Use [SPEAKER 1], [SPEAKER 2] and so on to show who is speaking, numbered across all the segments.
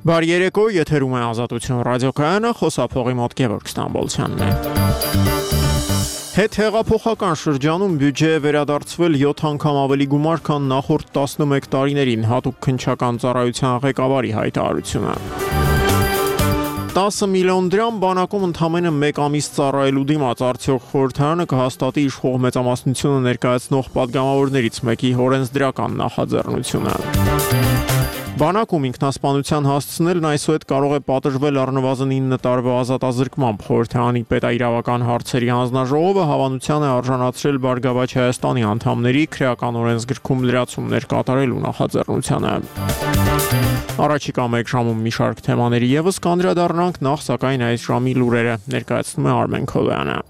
[SPEAKER 1] Բարի երեկո, եթերում է Ազատություն ռադիոկայանը, խոսափողի մոտ Գևորգ Ստամբոլցյանն է։ Հետհեղափոխական շրջանում բյուջեը վերադարձվել 7 անգամ ավելի գումար, քան նախորդ 11 տարիներին, հատուկ քննչական ծառայության ղեկավարի հայտարարությունը։ 10 միլիոն դրամ բանակում ընդամենը 1 ամիս ծառայելու դիմաց արդյոք խորհրդարանը կհաստատի իշխող մեծամասնությունը ներկայացնող պատգամավորներից մեկի օրենսդրական նախաձեռնությունը։ Բանակում ինքնասպանության հասցնելն այսուհետ կարող է պատժվել առնվազն 9 տարվա ազատազրկմամբ։ Խորհրդարանի պետաիրավական հարցերի հանձնաժողովը հավանության է արժանացրել Բարգավաճ Հայաստանի անդամների քրեական օրենսգրքում լրացումներ կատարելու նախաձեռնությանը։ Առաջիկա մեկ ժամում մի շարք թեմաների ևս կանդրադառնանք, նախ սակայն այս ժամի լուրերը ներկայացնում է Արմեն Քոլոյանը։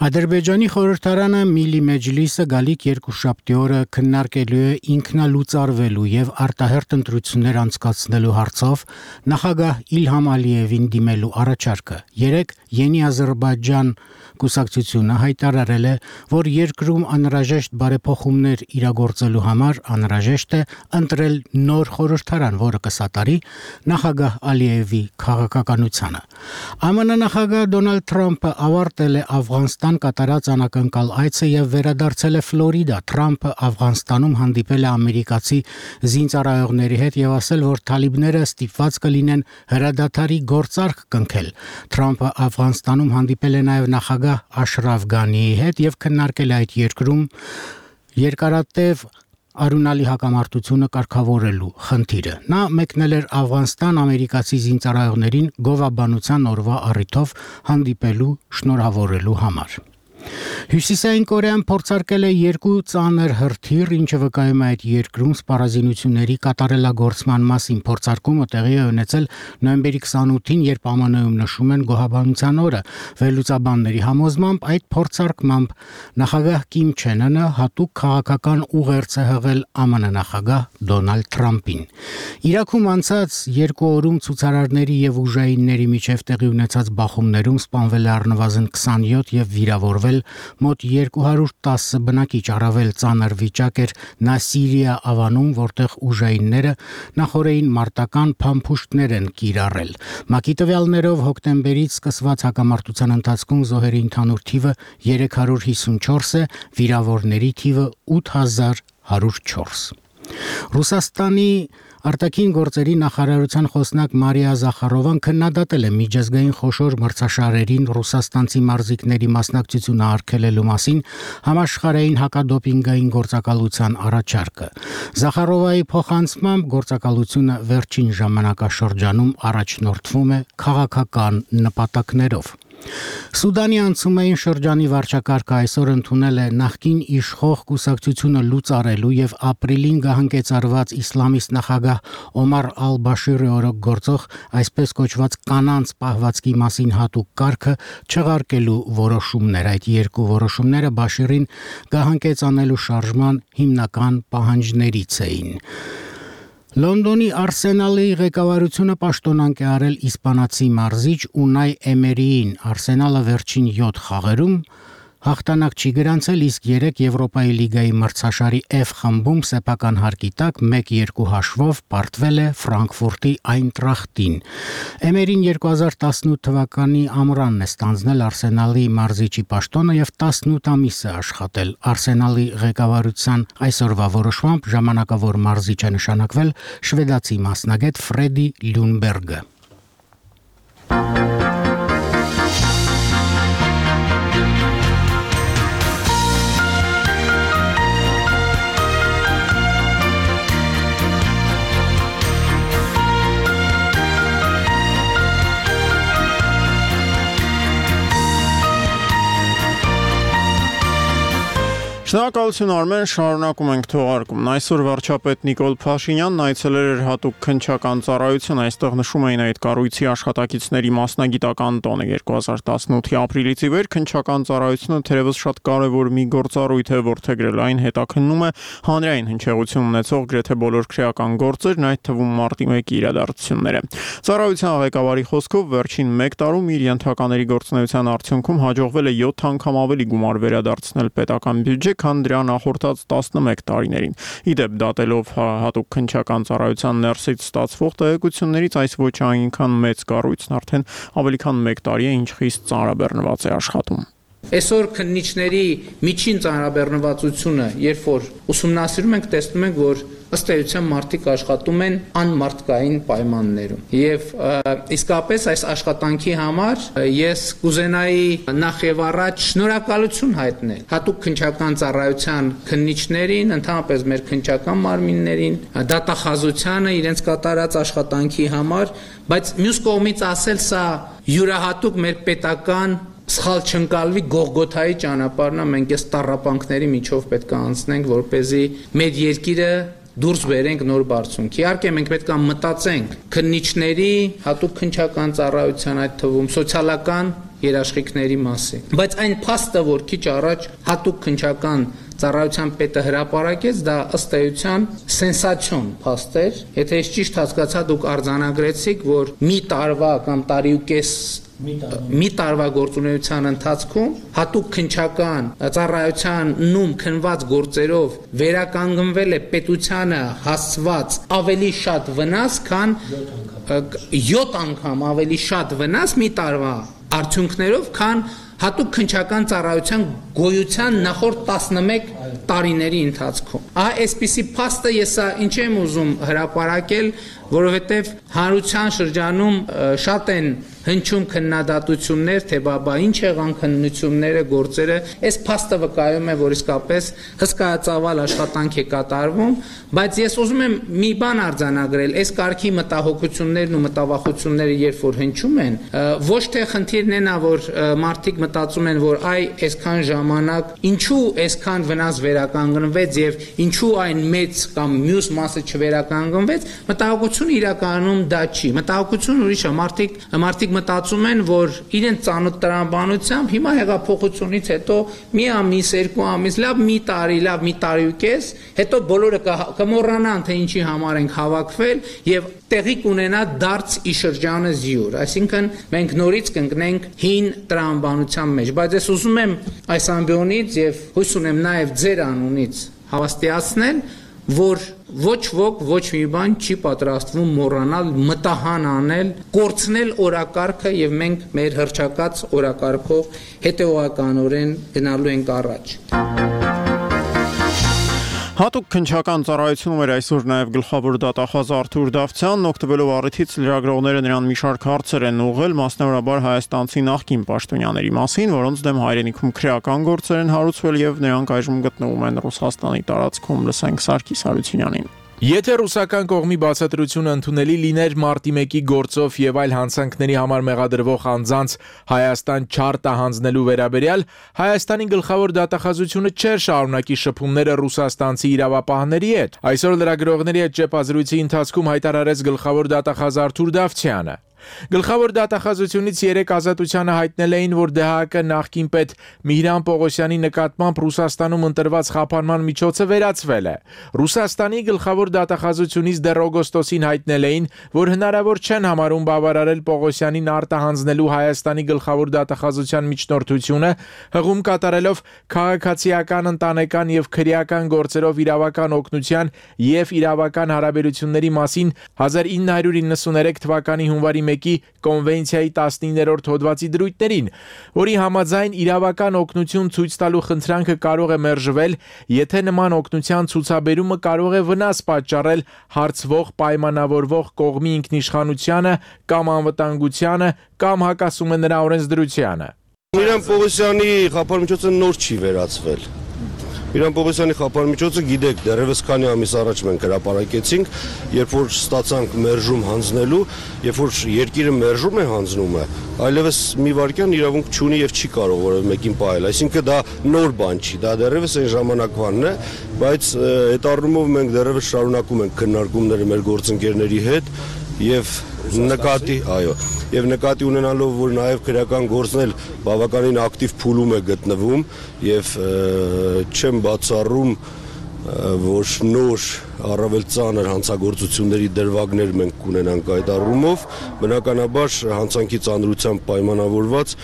[SPEAKER 2] Ադրբեջանի խորհրդարանը Միլի Մեջլիսը գալիք երկուշաբթի օրը քննարկելու է ինքնալուծարվելու եւ արտահերթ ընտրություններ անցկացնելու հարցով նախագահ Իլհամ Ալիևին դիմելու առաջարկը։ Երեկ Յենի Ադրբեջան կուսակցությունը հայտարարել է, որ երկրում անհրաժեշտ բարեփոխումներ իրագործելու համար անհրաժեշտ է ընտրել նոր խորհրդարան, որը կսատարի նախագահ Ալիևի քաղաքականությանը։ ԱՄՆ նախագահ Դոնալդ Թրամփը ավարտել է Աֆղանստան կատարած անակնկալ այցը եւ վերադարձել է Ֆլորիդա։ Թրամփը Աֆղանստանում հանդիպել է ամերիկացի զինծառայողների հետ եւ ասել, որ թալիբները ստիպված կլինեն հրադադարի գործարք կնքել։ Թրամփը Աֆղանստանում հանդիպել է նաեւ նախագահ Աշրաֆ Գանիի հետ եւ քննարկել է այդ երկրում երկարատև արունալի հակամարտությունը կարգավորելու խնդիրը։ Նա մեկնել էր Աֆղանստան ամերիկացի զինծառայողներին գովաբանության օրվա առիթով հանդիպելու շնորհավորելու համար։ Հյուսիսային Կորեան փորձարկել է 2 ծանր հրթիռ, ինչը վկայում է այդ երկրում սպառազինությունների կատարելագործման մասին։ Փորձարկումը տեղի է ունեցել նոյեմբերի 28-ին, երբ ԱՄՆ-ում նշում են Գոհաբանության օրը։ Վերլուծաբանների համոզմամբ այդ փորձարկմամբ նախագահ Կիմ Չեն Ընը հատուկ քաղաքական ուղերձ է հղել ԱՄՆ նախագահ Դոնալդ Թրամփին։ Իրաքում անցած 2 օրում ցուցարարների եւ ուժայինների միջև տեղի ունեցած բախումներում սպանվել է առնվազն 27 եւ վիրավորվել մոտ 210 բնակիչ։ Առավել ծանր վիճակ էր Նասիրիա ավանում, որտեղ ուժայինները նախորդին մարտական փամփուշտներ են կիրառել։ ՄԱԿ-ի տվյալներով հոկտեմբերից սկսված հակամարտության ընթացքում զոհերի ընդհանուր թիվը 354 է, վիրավորների թիվը 8104։ Ռուսաստանի արտաքին գործերի նախարարության խոսնակ Մարիա Զախարովան քննադատել է միջազգային խոշոր մրցաշարերին ռուսաստանցի մարզիկների մասնակցությունը արգելելու մասին համաշխարհային հակադոպինգային գործակալության առաջարկը։ Զախարովայի փոխանցմամբ գործակալությունը վերջին ժամանակաշրջանում առաջնորդվում է քաղաքական նպատակներով։ Սուդանի անցումային շրջանի վարչակարգը այսօր ընդունել է նախկին իշխող կուսակցությունը լուծարելու եւ ապրիլին գահանկեցարված իսլամիստ նախագահ Օմար Ալ-Բաշիրի օրոք գործող այսպես կոչված կանանց պահվածքի մասին հատուկ կարգը չեղարկելու որոշումներ։ Այդ երկու որոշումները Բաշիրին գահանկեց անելու շարժման հիմնական պահանջներից էին։ Լոնդոնի Արսենալի ղեկավարությունը պաշտոնանկ է արել իսպանացի մարզիչ Ունայ Էմերիին։ Արսենալը վերջին 7 խաղերում հաղթանակ չի գրանցել, իսկ 3 Եվրոպայի լիգայի մրցաշարի F խմբում սեփական հարկի տակ 1-2 հաշվով պարտվել է Ֆրանկֆուրտի Այնտրախտին։ Էմերին 2018 թվականի ամռանն է ստանձնել Արսենալի մարզիչի պաշտոնը եւ 18 ամիս է աշխատել։ Արսենալի ղեկավարության այսօրվա որոշմամբ ժամանակավոր մարզիչ է նշանակվել շվեդացի մասնագետ Ֆրեդի Լյունբերգը։
[SPEAKER 1] Շնորհակալություն Արմեն, շարունակում ենք թողարկումն։ Այսօր վարչապետ Նիկոլ Փաշինյանն այցելել էր հատուկ քննչական ծառայություն, այստեղ նշում էին այդ կառույցի աշխատակիցների մասնագիտական տոնը 2018-ի ապրիլից ի վեր քննչական ծառայությունը թերևս շատ կարևոր մի գործառույթ է որդեգրել, այն հետաքննում է հանրային հնչեղություն ունեցող գրեթե բոլոր քրեական գործերն, այդ թվում մարտի 1-ի իրադարձությունները։ Ծառայության ղեկավարի խոսքով վերջին 1 տարում իր ենթակաների գործունեության արդյունքում հաջողվել է 7 անգամ ավելի գումար վերադարձնել պետական բյուջե, քան դրա նախորդած 11 տարիներին։ Իդեպ դատելով հատուկ քննչական ծառայության ներսից ստացվող տեղեկություններից այս ոչ այնքան մեծ կառույցն արդեն ավելի քան 1 տարի է ինչ խիստ ծանրաբեռնված է աշխատում։
[SPEAKER 3] Այսօր քննիչների միջին ծանրաբեռնվածությունը, երբ որ ուսումնասիրում ենք, տեսնում ենք, որ ըստ էության մարդիկ աշխատում են անմարդկային պայմաններում։ Եվ իսկապես այս աշխատանքի համար ես կուզենայի նախ եւ առաջ շնորհակալություն հայտնել հատուկ քննչական ծառայության քննիչներին, ընդհանրապես մեր քննչական մարմիններին, դատախազությանը իրենց կատարած աշխատանքի համար, բայց մյուս կողմից ասել սա յուրահատուկ մեր պետական սխալ չընկալվի Գողգոթայի ճանապարհն է, մենք այս տառապանքների միջով պետք է անցնենք, որպեսզի մեր երկիրը դուրս բերենք նոր բարձունք։ Իհարկե մենք պետք է մտածենք քննիչների, հատուկ քննչական ծառայության, այդ թվում սոցիալական երաշխիքների մասին։ Բայց այն փաստը, որ քիչ առաջ հատուկ քննչական ծառայության պետը հրապարակեց, դա ըստ էության սենսացիոն փաստ էր։ Եթե ես ճիշտ հասկացա, դուք արձանագրեցիք, որ մի տարվա կամ տարի ու կես մի տարվա գործունեության ընթացքում հատուկ քննչական ծառայությանում քննված գործերով վերականգնվել է պետությանը հասցված ավելի շատ վնաս, քան 7 անգամ ավելի շատ վնաս մի տարվա արդյունքներով, քան հատուկ քննչական ծառայության գոյության նախորդ 11 տարիների ընթացքում։ Այսպիսի փաստը ես ինչ եմ ուզում հրապարակել, որովհետև հանրության շրջանում շատ են հնչում քննադատություններ, թե բաբա ինչ եղան քննությունները, գործերը, այս փաստը վկայում է, որ իսկապես հսկայածավալ աշխատանք է կատարվում, բայց ես ուզում եմ մի բան արձանագրել, այս կարգի մտահոգություններն ու մտավախությունները երբ որ հնչում են, ոչ թե խնդիրն է նա, որ մարդիկ մտածում են, որ այսքան ժամանակ ինչու այսքան վնաս վերականգնվեց եւ ինչու այն մեծ կամ մյուս մասը չվերականգնվեց, մտահոգությունը իրականում դա չի, մտահոգությունը ուրիշ է, մարդիկ մտածում են, որ իրենց ծանոթ տրամաբանությամբ հիմա հեղափոխությունից հետո մի ամիս, 2 ամիս, լավ մի տարի ու կես, հետո բոլորը կմոռանան, թե ինչի համար ենք հավաքվել եւ տեղի կունենա դարձ ի շրջանը զյուր, այսինքն մենք նորից կընկնենք հին տրամաբանության մեջ, բայց ես ուզում եմ այս ամբիոնից եւ հույս ունեմ նաեւ ձեր անունից հավաստիացնել, որ ոչ ոք ոչ մի բան չի պատրաստվում մոռանալ, մտահան անել, կորցնել օրակարգը եւ մենք մեր հռչակած օրակարգով հետեւողականորեն գնալու ենք առաջ։
[SPEAKER 1] Հատուկ քննչական ծառայությունում էր այսօր նաև գլխավոր դատախազ Արթուր Դավթյանն, օգտվելով առիթից լրագրողները նրան մի շարք հարցեր են ուղղել, մասնավորաբար հայաստանցի նախկին պաշտոնյաների մասին, որոնց դեմ հայրենիքում քրեական գործեր են հարուցվել եւ նրանք այժմ գտնվում են Ռուսաստանի տարածքում, լսենք Սարգիս Հարությունյանին։
[SPEAKER 4] Եթե ռուսական կողմի բացատրությունը ընդունելի լիներ մարտի 1-ի գործով եւ այլ հանցանքների համար մեղադրվող անձանց Հայաստան չարտահանձնելու վերաբերյալ, Հայաստանի գլխավոր դատախազությունը չէր շարունակի շփումները ռուսաստանցի իրավապահների հետ։ Այսօր լրագրողների հետ ճեպազրույցի ընթացքում հայտարարեց գլխավոր դատախազ Արթուր Դավթյանը։ Գլխավոր դատախազությունից 3 ազատությանը հայտնել էին, որ ԴՀԱԿ նախկին պետ Միհրան Պողոսյանի նկատմամբ Ռուսաստանում ընտրված խափանման միջոցը վերացվել է։ Ռուսաստանի գլխավոր դատախազությունից դեռ օգոստոսին հայտնել էին, որ հնարավոր չեն համարում բավարարել Պողոսյանին արտահանձնելու Հայաստանի գլխավոր դատախազության միջնորդությունը, հղում կատարելով քաղաքացիական, ընտանեկան եւ քրեական գործերով իրավական օգնության եւ իրավական հարաբերությունների մասին 1993 թվականի հունվարի Կոնվենցիայի 19-րդ հոդվածի դրույթներին, որի համաձայն իրավական օգնություն ցույց տալու խնդրանքը կարող է մերժվել, եթե նման օգնության ցուցաբերումը կարող է վնաս պատճառել հարցվող պայմանավորվող կողմի ինքնիշխանությանը կամ անվտանգությանը կամ հակասում է նրա օրենսդրությանը։
[SPEAKER 5] Միհրան Պողոսյանի խափանմիջոցը նոր չի վերացվել։ Միհրան Պողոսյանի խափանմիջոցը գիտեք, դեռևս քանի ամիս առաջ մենք հրապարակեցինք, երբ որ ստացանք մերժում հանձնելու, երբ որ երկիրը մերժում է հանձնում է, այլևս մի վարքյան իրավունք չունի եւ չի կարող որևէ մեկին պահել, այսինքն դա նոր բան չի, դա դեռևս այն ժամանակվանն է, բայց այդ առումով մենք դեռևս շարունակում ենք քննարկումները մեր գործընկերների հետ եւ նկատի ունենալով, որ նաև քրեական գործն էլ բավականին ակտիվ փուլում է գտնվում եւ չեմ բացառում, որ նոր առավել ծանր հանցագործությունների դրվագներ մենք կունենանք այդ առումով, բնականաբար հանցանքի ծանրությամբ պայմանավորված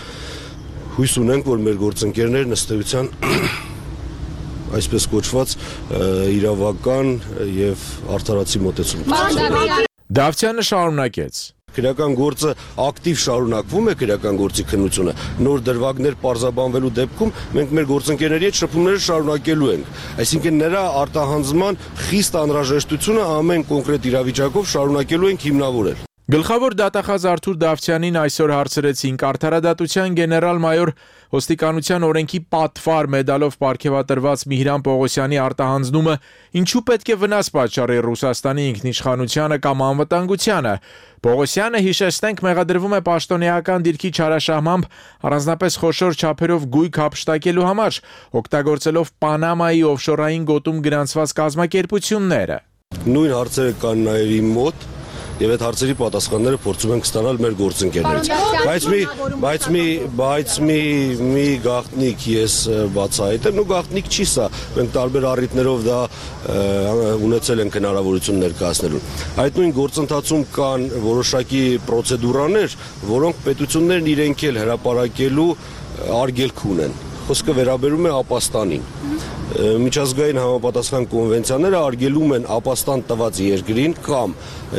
[SPEAKER 5] հույս ունենք, որ մեր գործընկերներն ըստ էության այսպես կոչված իրավական եւ արդարացի մոտեցում։
[SPEAKER 4] Դավթյանը շարունակեց.
[SPEAKER 5] Քրեական գործը ակտիվ շարունակվում է քրեական գործի քննությունը նոր դրվագներ պարզաբանվելու դեպքում մենք մեր գործընկերների հետ շփումները շարունակելու ենք այսինքն նրա արտահանձնման խիստ անհրաժեշտությունը ամեն կոնկրետ իրավիճակով շարունակելու ենք հիմնավորել
[SPEAKER 4] Գլխավոր դատախազ Արթուր Դավթյանին այսօր հարցրեցինք արդարադատության գեներալ-մայոր ոստիկանության օրենքի պատվար մեդալով պարգևատրված Միհրան Պողոսյանի արտահանձնումը ինչու պետք է վնաս պատճառի Ռուսաստանի ինքնիշխանությանը կամ անվտանգությանը Պողոսյանը հիշեցնենք մեղադրվում է պաշտոնեական դիրքի չարաշահմամբ առանձնապես խոշոր չափերով գույք հափշտակելու համար օգտագործելով Պանամայի օֆշորային գոտում գրանցված կազմակերպությունները
[SPEAKER 5] Նույն հարցերը կան նաև իմ մոտ Եվ այդ հարցերի պատասխանները փորձում ենք ստանալ մեր գործընկերներից։ Բայց մի գաղտնիք ես բացահայտեմ, ու գաղտնիք չի սա։ Մենք տարբեր առիթներով դա ունեցել ենք հնարավորություն ներկայացնելու։ Այդ նույն գործընթացում կան որոշակի պրոցեդուրաներ, որոնք պետություններն իրենք էլ հրապարակելու արգելք ունեն։ Խոսքը վերաբերում է ապաստանին։ Միջազգային համապատասխան կոնվենցիաները արգելում են ապաստան տված երկրին կամ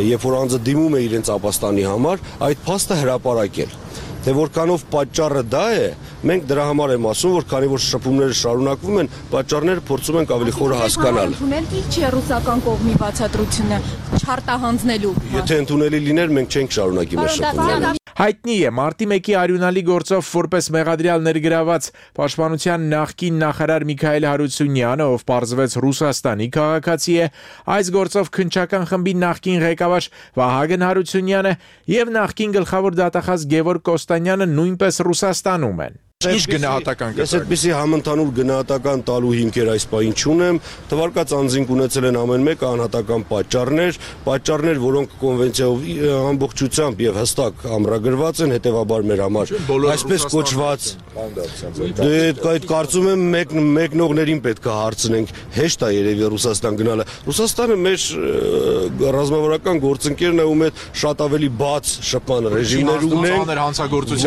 [SPEAKER 5] երբ որ անձը դիմում է իրենց ապաստանի համար, այդ փաստը հրապարակել։ Թե որքանով պատճառը դա է, մենք դրա համար եմ ասում, որ քանի որ շփումները շարունակվում են, պատճառները փորձում ենք ավելի խորը հասկանալ։
[SPEAKER 6] Ինչ է ռուսական կողմի բացատրությունը չարտահանձնելու։
[SPEAKER 5] Եթե ընդունելի լիներ, մենք չենք շարունակի մեր շփումները։
[SPEAKER 4] Հայտնի է մարտի 1-ի արյունալի գործով որպես մեղադրյալ ներգրաված Պաշտպանության նախկին նախարար Միքայել Հարությունյանը, ով պարզվեց Ռուսաստանի քաղաքացի է, այս գործով քննչական խմբի նախկին ղեկավար Վահագն Հարությունյանը եւ նախկին գլխավոր դատախազ Գևորգ Կոստանյանը նույնպես Ռուսաստանում են։ Ինչ գնահատական կտակ։
[SPEAKER 5] Ես այդպիսի համընդհանուր գնահատական տալու հիմքեր այս պահին չունեմ, թվարկած անձինք ունեցել են ամեն մեկը անհատական պատճառներ, որոնք կոնվենցիայով ամբողջությամբ եւ հստակ ամրագրված են, հետեւաբար մեր համար այսպես կոչված այդ կարծում եմ մեկնողներին պետք է հարցնենք, հեշտ է երևի Ռուսաստան գնալը։ Ռուսաստանը մեր ռազմավարական գործընկերն է, ում հետ շատ ավելի բաց շփման ռեժիմներ ունեն,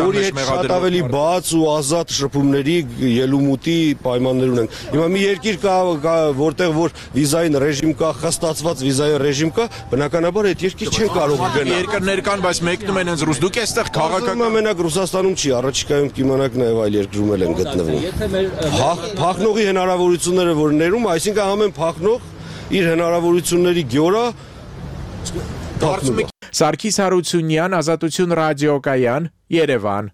[SPEAKER 5] որի հետ շատ ավելի բաց ու ազատ շփումների ելումուտի պայմաններ ունենք։ Հիմա մի երկիր կա, որտեղ որ վիզային ռեժիմ կա, խստացված վիզային ռեժիմ կա, բնականաբար այդ երկիր չեն կարող գնալ։
[SPEAKER 4] Երկրներ կան, բայց մեկնում են հենց ռուս։ Դուք այստեղ քաղաքական
[SPEAKER 5] մենակ Ռուսաստանում չի, առաջիկայում կիմանաք նաև այլ երկրում էլ են գտնվում։ Փախնողի հնարավորությունները որ ներում, այսինքն ամեն փախնող իր հնարավորությունների գյորա փախնում է։
[SPEAKER 4] Սարգիս Հարությունյան, Ազատություն ռադիոկայան, Երևան։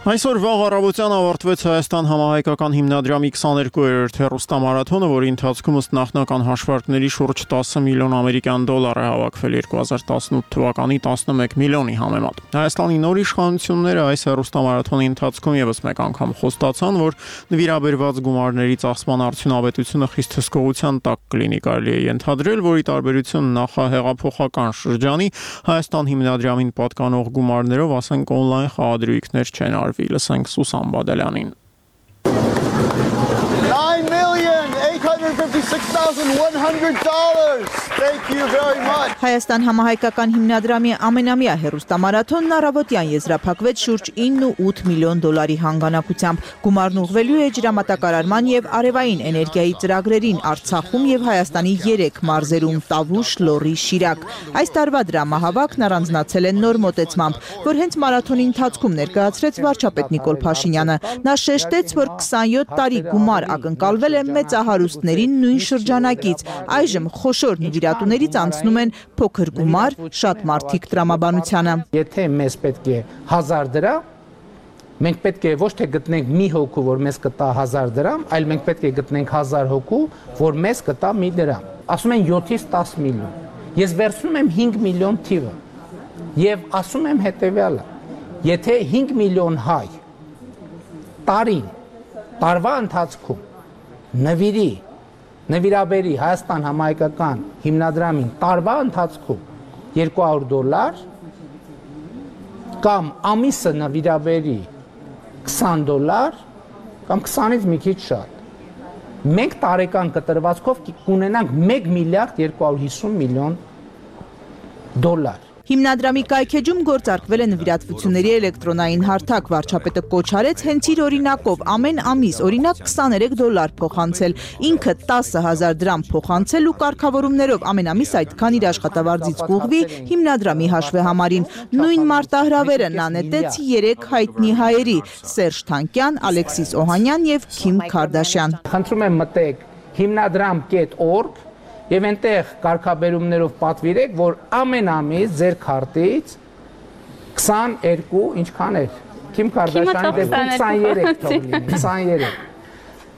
[SPEAKER 1] Այսօր վաղ առավոտյան ավարտվեց Հայաստան համահայկական հիմնադրամի 22-րդ հեռուստամարաթոնը, որի ընթացքում ըստ նախնական հաշվարկների շուրջ 10 միլիոն ամերիկյան դոլար է հավաքվել 2018 թվականի 11 միլիոնի համեմատ։ Հայաստանի նոր իշխանությունները այս հեռուստամարաթոնի ընթացքում եւս մեկ անգամ խոստացան, որ նվիրաբերված գումարների ծախսման արդյունավետությունը խիստ հսկողության տակ կլինի, կարելի է ենթադրել, որի տարբերություն նախահեղափոխական շրջանի Հայաստան հիմնադրամին պատկանող գումարներով, ասենք on-line խաղադրույքներ չեն Լսենք Սուսան Բադալյանին։
[SPEAKER 7] Thank you very much.
[SPEAKER 6] Հայաստան համահայկական հիմնադրամի ամենամյա հեռուստամարաթոնն առավոտյան եզրափակվեց շուրջ 9.8 միլիոն դոլարի հանգանակությամբ։ Գումարն ուղղվելու է ջրամատակարարման եւ արևային էներգիայի ծրագրերին Արցախում եւ Հայաստանի 3 մարզերում՝ Տավուշ, Լոռի, Շիրակ։ Այս տարվա դրամահավաքն առանձնացել է նոր մոտեցմամբ, որ հենց մարաթոնի ընթացքում ներկայացրեց վարչապետ Նիկոլ Փաշինյանը։ Նա շեշտեց, որ 27 տարի գումար ակնկալվել է մեծահարուստներին նույն շրջանակից։ Այժմ խոշոր նվիրատուներից անցնում են փոքր գումար, շատ մարդիկ տրամաբանությանը։
[SPEAKER 8] Եթե մեզ պետք է 1000 դրամ, մենք պետք է ոչ թե գտնենք մի հոգու, որ մեզ կտա 1000 դրամ, այլ մենք պետք է գտնենք 1000 հոգու, որ մեզ կտա մի դրամ։ Ասում են 7-ից 10 միլիոն։ Ես վերցնում եմ 5 միլիոն թիվը եւ ասում եմ հետեւյալը. եթե 5 միլիոն հայ տարվա ընթացքում նվիրաբերի Հայաստան համահայկական հիմնադրամին տարվա ընթացքում $200 կամ ամիսը նվիրաբերի $20 կամ 20-ից մի քիչ շատ, մենք տարեկան կտրվածքով կունենանք $1 միլիարդ 250 միլիոն։
[SPEAKER 6] Հիմնադրամի կայքեջում գործարկվել է նվիրատվությունների էլեկտրոնային հարթակ, վարչապետը կոչ արեց հենց իր օրինակով ամեն ամիս օրինակ $23 փոխանցել, ինքը 10,000 դրամ փոխանցել ու կարգավորումներով ամեն ամիս այդքան իր աշխատավարձից կուղվի հիմնադրամի հաշվեհամարին։ Նույն մարտահրավերը նա նետեց 3 հայտնի հայերի՝ Սերժ Թանկյան, Ալեքսիս Օհանյան եւ Քիմ Քարդաշյան։
[SPEAKER 8] Խնդրում եմ մտեք հիմնադրամ.org եւ այնտեղ կարգաբերումներով պատվիրեք, որ ամեն ամիս ձեր քարտից 22, ինչքան էր։ Քիմ Քարդաշյանի դեպքում 23 թող լինի, 23։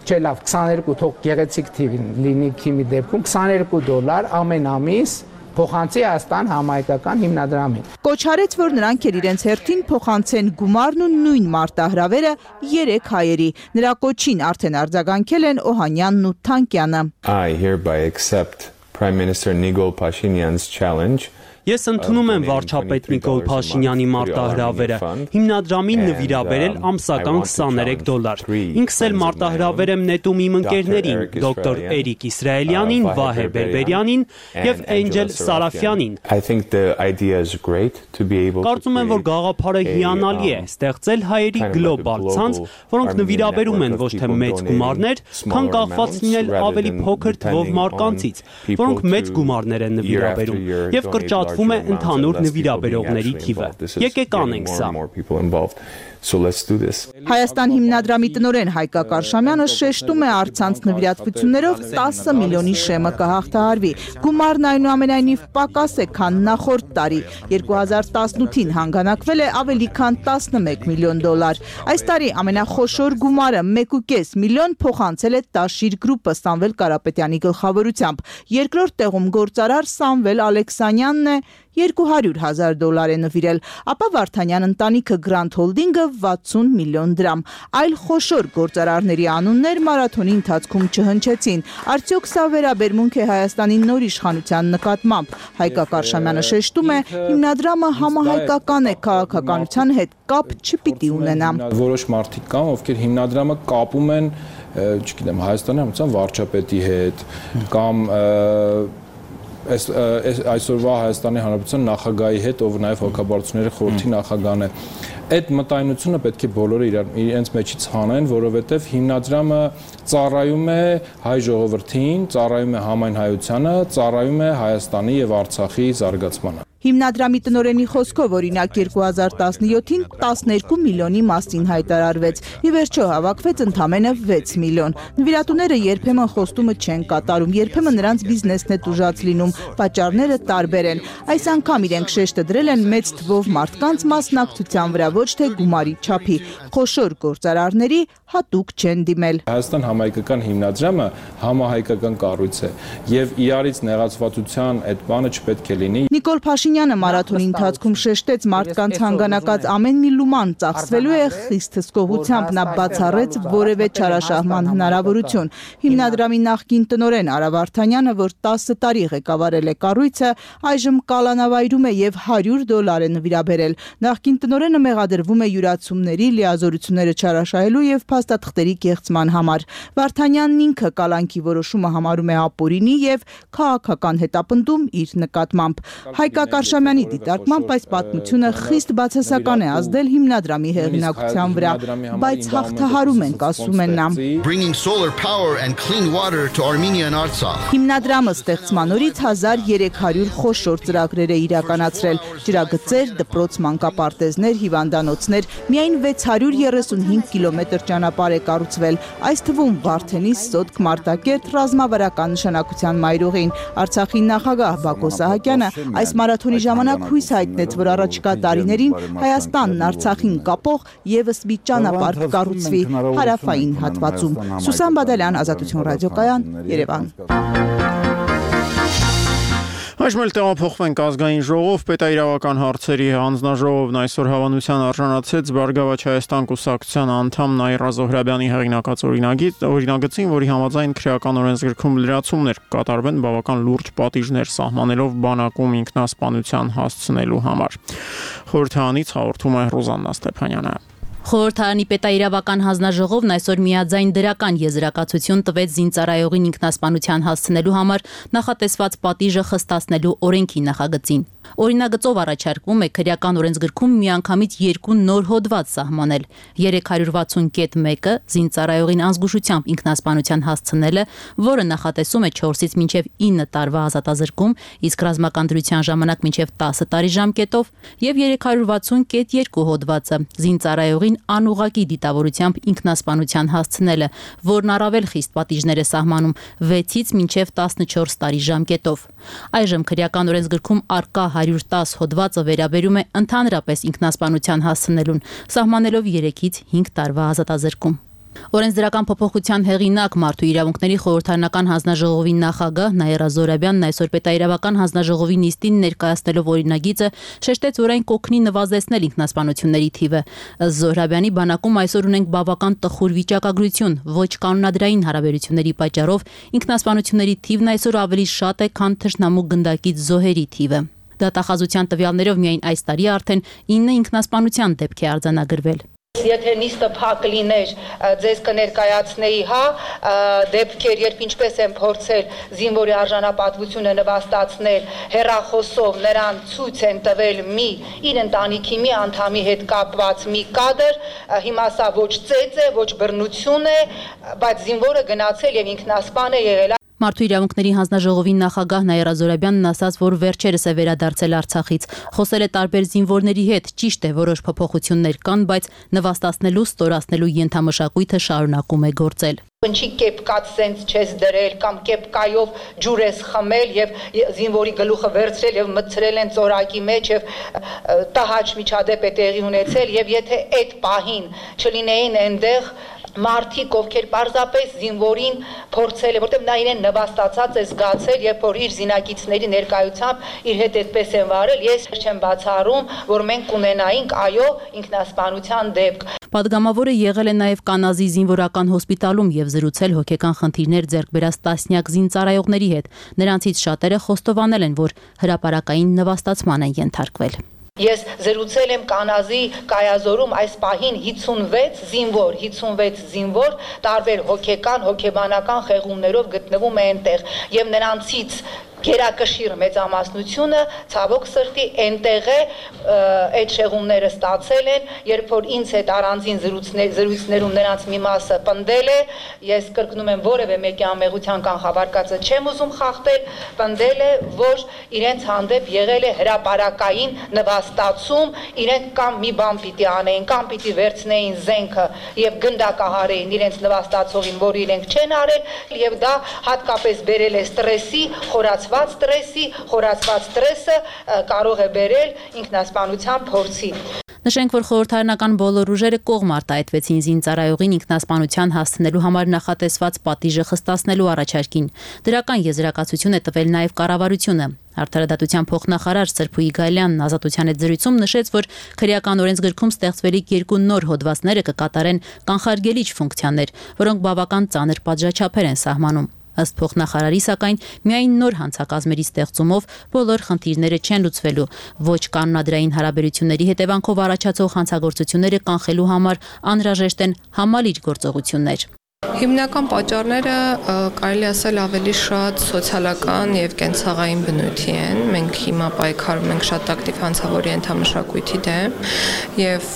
[SPEAKER 8] Չէ, լավ, 22 թող գեղեցիկ թիվ լինի Քիմի դեպքում $22 ամեն ամիս փոխանցի Հայաստան համահայկական հիմնադրամին։
[SPEAKER 6] Կոչ արեց, որ նրանք էլ իրենց հերթին փոխանցեն գումարն ու նույն մարտահրավերը 3 հայերի։ Նրա կոչին արդեն արձագանքել են Օհանյանն ու Թանկյանը։
[SPEAKER 9] I hereby accept Prime Minister Nikol Pashinyan's challenge.
[SPEAKER 10] Ես ընդունում եմ վարչապետ Նիկոլ Փաշինյանի մարտահրավերը, հիմնադրամին նվիրաբերել ամսական $23։ Ինքս էլ մարտահրավեր եմ նետում իմ ընկերներին՝ դոկտոր Էրիկ Իսրայելյանին, Վահե Բերբերյանին եւ Էնջել Սարաֆյանին։ Կարծում եմ, որ գաղափարը հիանալի է՝ ստեղծել հայերի գլոբալ ցանց, որոնք նվիրաբերում են ոչ թե մեծ գումարներ, քան կախված լինել ավելի փոքր թվով մարկանցից, որոնք մեծ գումարներ են նվիրաբերում եւ կրճատ է ընդհանուր նվիրաբերողների թիվը։ Եկեք անենք սա։
[SPEAKER 6] Հայաստան հիմնադրամի տնօրեն Հայկա Կարշամյանը շեշտում է առցանց նվիրատվություններով 10 միլիոնի շեմը կհաղթահարվի։ Գումարն այնուամենայնիվ պակաս է, քան նախորդ տարի։ 2018-ին հանգանակվել է ավելի քան $11 միլիոն։ Այս տարի ամենախոշոր գումարը 1.5 միլիոն փոխանցել է Տաշիր գրուպը Սամվել Կարապետյանի գլխավորությամբ։ Երկրորդ տեղում գործարար Սամվել Ալեքսանյանն է $200,000 է նվիրել, ապա Վարդանյան ընտանիքը Grand Holding-ը 60 միլիոն դրամ։ Այլ խոշոր գործարարների անուններ մարաթոնի ընթացքում չհնչեցին։ Արդյոք սա վերաբերմունք է Հայաստանի նոր իշխանության նկատմամբ։ Հայկա Կարշամյանը շեշտում է, հիմնադրամը համահայկական է, քաղաքականության հետ կապ չպիտի ունենա։
[SPEAKER 11] Որոշ մարդիկ կան, ովքեր հիմնադրամը կապում են, չգիտեմ, Հայաստանի Հանրապետության վարչապետի հետ կամ այսօրվա Հայաստանի Հանրապետության նախագահի հետ, ով նաև հոգաբարձությունների խորհրդի նախագահն է։ Այդ մտայնությունը պետք է բոլորը իրենց մեջից հանեն, որովհետև հիմնադրամը ծառայում է հայ ժողովրդին, ծառայում է համայն հայությանը, ծառայում է Հայաստանի եւ Արցախի զարգացմանը։
[SPEAKER 6] Հիմնադրամի տնօրենի խոսքով օրինակ 2017-ին 12 միլիոնի մասին հայտարարվեց։ Ի վերջո հավաքվեց ընդամենը 6 միլիոն։ Նվիրատուները երբեմն խոստումը չեն կատարում, երբեմն նրանց բիզնեսն է տուժած լինում, պատճառները տարբեր են։ Այս անգամ իրենք շեշտը դրել են մեծ թվով մարդկանց մասնակցության վրա, ոչ թե գումարի չափի։ Խոշոր գործարարների հատուկ չեն դիմել։
[SPEAKER 11] Հայաստան համահայկական հիմնադրամը համահայկական կառույց է եւ իրարից նեղացվածության այդ բանը չպետք է լինի։
[SPEAKER 6] Նիկոլ Փաշինյանը մարաթոնի ընթացքում շեշտեց մարդկանց հանգանակած ամեն մի լուման ծախսվելու է խիստ հսկողությամբ, նա բացառեց որևէ չարաշահման հնարավորություն։ Հիմնադրամի նախկին տնօրեն Արա Վարդանյանը, որ 10 տարի ղեկավարել է կառույցը, այժմ կալանավայրում է եւ $100 է նվիրաբերել։ Նախկին տնօրենը մեղադրվում է յուրացումների, լիազորությունները չարաշահելու եւ փաստաթղթերի կեղծման համար։ Վարդանյանն ինքը կալանքի որոշումը համարում է ապօրինի եւ քաղաքական հետապնդում իր նկատմամբ։ Հայկա Կարշամյանի դիտարկմամբ այս պատմությունը խիստ բացասական է ազդել հիմնադրամի հեղինակության վրա, բայց հաղթահարում ենք, ասում են նա։ Հիմնադրամը ստեղծման օրից 1300 խոշոր ծրագրեր է իրականացրել՝ ջրագծեր, դպրոց, մանկապարտեզներ, հիվանդանոցներ, միայն 635 կիլոմետր ճանապարհ է կառուցվել, այս թվում Վարդենիս, Սոտք, Մարտակերտ ռազմավարական նշանակության մայրուղին։ Արցախի նախագահ Բակո Սահակյանը այս մարաթոնի ժամանակ հույս հայտնեց, որ առաջիկա տարիներին Հայաստանն Արցախին կապող եւս մի ճանապարհ կառուցվի հարավային հատվածում։ Սուսան Բադալյան, Ազատություն ռադիոկայան, Երևան։
[SPEAKER 1] Այժմ էլ տեղափոխվենք ազգային ժողով, պետաիրավական հարցերի հանձնաժողովն այսօր հավանության արժանացեց Բարգավաճ Հայաստան կուսակցության անդամ Նաիրա Զոհրաբյանի հեղինակած օրինագծին, որի համաձայն քրեական օրենսգրքում լրացումներ կկատարվեն բավական լուրջ պատիժներ սահմանելով բանակում ինքնասպանության հասցնելու համար։ Խորհրդարանից հաղորդում է Ռոզաննա Ստեփանյանը։
[SPEAKER 12] Խորհրդարանի պետաիրավական հանձնաժողովն այսօր միաձայն դրական եզրակացություն տվեց զինծառայողին ինքնասպանության հասցնելու համար նախատեսված պատիժը խստացնելու օրենքի նախագծին։ Օրինագծով առաջարկվում է քրեական օրենսգրքում միանգամից 2 նոր հոդված սահմանել՝ 360.1-ը զինծառայողին անզգուշությամբ ինքնասպանության հասցնելը, որը նախատեսում է 4-ից մինչև 9 տարվա ազատազրկում, իսկ ռազմական դրության ժամանակ մինչև 10 տարի ժամկետով, եւ 360.2 հոդվածը զինծառայողին անուղղակի դիտավորությամբ ինքնասպանության հասցնելը, որն առավել խիստ պատիժներ է սահմանում 6-ից մինչև 14 տարի ժամկետով։ Այժմ քրեական օրենսգրքում առկա 110 հոդվածը վերաբերում է ընդհանրապես ինքնասպանության հասցնելուն, սահմանելով 3-ից 5 տարվա ազատազրկում։ Օրենսդրական փոփոխության հեղինակ Մարդու իրավունքների խորհրդարանական հանձնաժողովի նախագահ Նաիրա Զոհրաբյանն այսօր պետաիրավական հանձնաժողովի նիստին ներկայացնելով օրինագիծը շեշտեց, որ այն կօգնի նվազեցնել ինքնասպանությունների թիվը։ Ըստ Զոհրաբյանի բանակում այսօր ունենք բավական տխուր վիճակագրություն, ոչ կանոնադրային հարաբերությունների պատճառով ինքնասպանությունների թիվն այսօր ավելի շատ է, քան թշնամու գնդակից զոհերի թիվը։ Դատախազության տվյալներով միայն այս տարի արդեն 9 ինքնասպանության դեպք է արձանագրվել։
[SPEAKER 13] Եթե նիստը փակ լիներ, ձեզ կներկայացնեի դեպքեր, երբ ինչպես են փորձել զինվորի արժանապատվությունը նվաստացնել, հեռախոսով նրան ցույց են տվել իր ընտանիքի մի անդամի հետ կապված մի կադր, հիմա սա ոչ ծեծ է, ոչ բռնություն է, բայց զինվորը գնացել եւ ինքնասպան է եղել։
[SPEAKER 12] Մարդու իրավունքների հանձնաժողովի նախագահ Նաիրա Զոհրաբյանն ասաց, որ վերջերս է վերադարձել Արցախից։ Խոսել է տարբեր զինվորների հետ, ճիշտ է, որոշ փոփոխություններ կան, բայց նվաստացնելու, ստորացնելու ենթամշակույթը շարունակում է գործել։
[SPEAKER 13] Ինչի կեպկած սենց չես դրել կամ կեպկայով ջուր ես խմել եւ զինվորի գլուխը վերցրել եւ մտցրել են ծորակի մեջ եւ տհաճ միջադեպ է տեղի ունեցել եւ եթե այդ պահին չլինեին այնտեղ մարդիկ, ովքեր պարզապես զինվորին փորձել է, որտեղ նա իրեն նվաստացած է զգացել, երբ որ իր զինակիցների ներկայությամբ իր հետ այդպես են վարել, ես չեմ բացառում, որ մենք կունենայինք այո ինքնասպանության դեպք։
[SPEAKER 12] Պատգամավորը եղել է նաև Կանազի զինվորական հոսպիտալում եւ զրուցել հոգեկան խնդիրներ ձեռք բերած տասնյակ զինծառայողների հետ։ Նրանցից շատերը խոստովանել են, որ հրապարակային նվաստացման են ենթարկվել։
[SPEAKER 13] Ես զրուցել եմ Կանազի կայազորում այս պահին 56 զինվոր տարբեր հոգեկան, հոգեբանական խեղումներով գտնվում է այնտեղ եւ նրանցից գերակշիռ մեծամասնությունը ցավոք սրտի այնտեղ է այդ շեղումները ստացել են, երբ որ ինձ հետ առանձին զրույցներում նրանց մի մասը պնդել է, ես կրկնում եմ որևէ մեկի անմեղության կանխավարկածը չեմ ուզում խախտել, պնդել է, որ իրենց հանդեպ եղել է հրապարակային նվաստացում, իրենք կամ մի բան պիտի անեին, կամ պիտի վերցնեին զենքը եւ գնդակահարեին իրենց նվաստացողին, որ իրենք չեն արել եւ դա հատկապես բերել է ստրեսի, խորացված ստրեսը կարող է բերել ինքնասպանության փորձի։
[SPEAKER 12] Նշենք, որ խորհրդարանական բոլոր ուժերը կողմ արտահայտվեցին զինծառայողին ինքնասպանության հասցնելու համար նախատեսված պատիժը խստացնելու առաջարկին։ Դրական եզրակացություն է տվել նաև կառավարությունը։ Արդարադատության փոխնախարար Սրփուի Գալյանն Ազատության հետ զրույցում նշեց, որ քրեական օրենսգրքում ստեղծվելիք 2 նոր հոդվածները կկատարեն կանխարգելիչ ֆունկցիաներ, որոնք բավական ծանր պատժաչափեր են սահմանում։ Ըստ փոխնախարարի, սակայն միայն նոր հանցակազմերի ստեղծումով բոլոր խնդիրները չեն լուծվելու։ Ոչ կանոնադրային հարաբերությունների հետևանքով առաջացող հանցագործությունները կանխելու համար անհրաժեշտ են համալիր գործողություններ։
[SPEAKER 14] Հիմնական պատճառները կարելի ասել ավելի շատ սոցիալական եւ կենցաղային բնույթի են։ Մենք հիմա պայքարում ենք շատ ակտիվ հանցավորի ենթամշակույթի դեմ եւ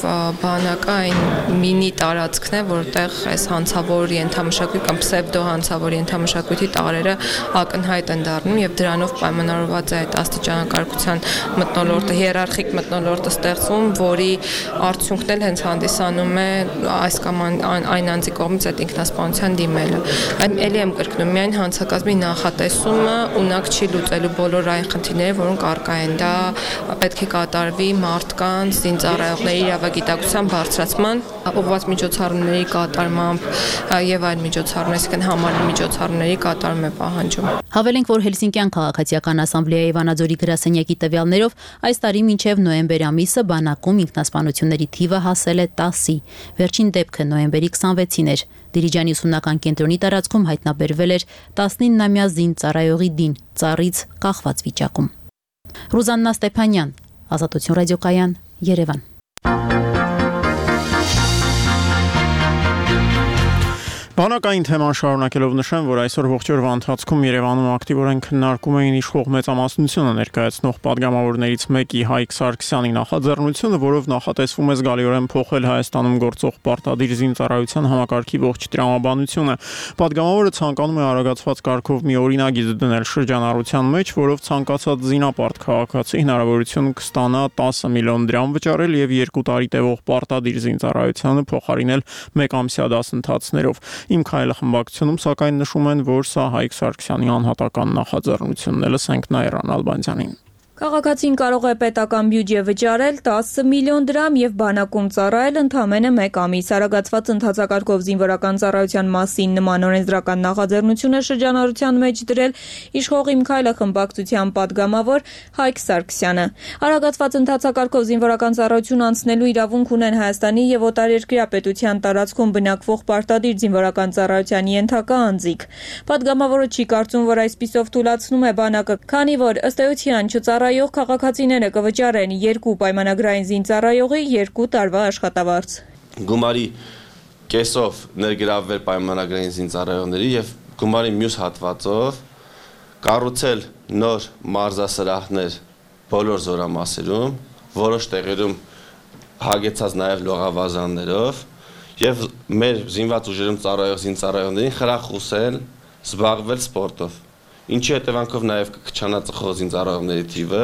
[SPEAKER 14] բանակը այն մինի տարածքն է, որտեղ այս հանցավոր ենթամշակույթ կամ պսևդո հանցավոր ենթամշակույթի տարրերը ակնհայտ են դառնում եւ դրանով պայմանավորված է այդ աստիճանակարգության մթնոլորտը, հիերարխիկ մթնոլորտը ստեղծվում, որի արդյունքն էլ հենց հանդիսանում է այս կամ այն անձի կողմից այդ ինքնասպանության դիմելը։ Էլի եմ կրկնում, միայն հանցակազմի նախատեսումը ունակ չի լուծելու բոլոր այն խնդիրները, որոնք առկա են։ Դա պետք է կատարվի մարդկանց, զինծառայողների իրավագիտակցության բարձրացման, ուղղված միջոցառումների կատարմամբ եւ այլ միջոցառումներ, այսինքն համալիր միջոցառումների կատարում է պահանջում։
[SPEAKER 12] Հավելենք, որ Հելսինկյան քաղաքացիական ասամբլեայի Վանաձորի գրասենյակի տվյալներով այս տարի մինչև նոյեմբեր ամիսը բանակում ինքնասպանությունների թիվը հասել է 10-ի։ Վերջին դեպքը նոյեմբերի 26-ին էր։ Դիլիջանի ուսումնական կենտրոնի տարածքում հայտնաբերվել էր 19-ամյա զինծառայողի դին, ծառից կախված վիճակում։ Ռուզաննա Ստեփանյան, Ազատություն ռադիոկայան, Երևան։
[SPEAKER 1] Բանակային թեման շարունակելով նշեմ, որ այսօր ողջ օրվա ընթացքում Երևանում ակտիվորեն քննարկում էին իշխող մեծամասնությունը ներկայացնող падգամավորներից մեկի Հայկ Սարգսյանի նախաձեռնությունը, որով նախատեսվում է զգալիորեն փոխել Հայաստանում գործող պարտադիր զինծառայության համակարգի ողջ տրամաբանությունը։ Падգամավորը ցանկանում է արագացված կարգով մի օրինագիծ դնել շրջանառության մեջ, որով ցանկացած զինապարտ քաղաքացի հնարավորություն կստանա 10 միլիոն դրամ վճարել եւ 2 տարի տևող պարտադիր զինծառայությանը փոխարինել մեկամսյա դասընթացներով։ Իմ քայլը խմբակցությունում սակայն նշում են, որ սա Հայկ Սարգսյանի անհատական նախաձեռնությունն է, լսենք Նաիրա Նալբանդյանին։
[SPEAKER 15] Քաղաքացին կարող է պետական բյուջե վճարել 10 միլիոն դրամ եւ բանակում ծառայել ընդամենը 1 ամիս։ Արագացված ընթացակարգով զինվորական ծառայության մասին նման օրենսդրական նախաձեռնություն է շրջանառության մեջ դրել իշխող Իմ քայլը խմբակցության падգամավոր Հայկ Սարգսյանը։ Արագացված ընթացակարգով զինվորական ծառայություն անցնելու իրավունք ունեն Հայաստանի եւ օտարերկրյա պետության տարածքում բնակվող պարտադիր զինվորական ծառայության ենթակա անձիկ։ Падգամավորը չի կարծում, որ այսպիսով թույլատնում է բանակը, քանի որ ըստ էության Ծառայող քաղաքացիները կվճարեն 2 պայմանագրային զինծառայողի 2 տարվա աշխատավարձ։
[SPEAKER 16] Գումարի կեսով ներգրավվել պայմանագրային զինծառայողների եւ գումարի մյուս հատվածով կառուցել նոր մարզասրահներ բոլոր զորամասերում, որոշ տեղերում հագեցած նաեւ լողավազաններով եւ մեր զինված ուժերում ծառայող զինծառայողներին խրախուսել զբաղվել սպորտով։ Ինչի հետևանքով նաև կքչանա ծխող զինծառայողների թիվը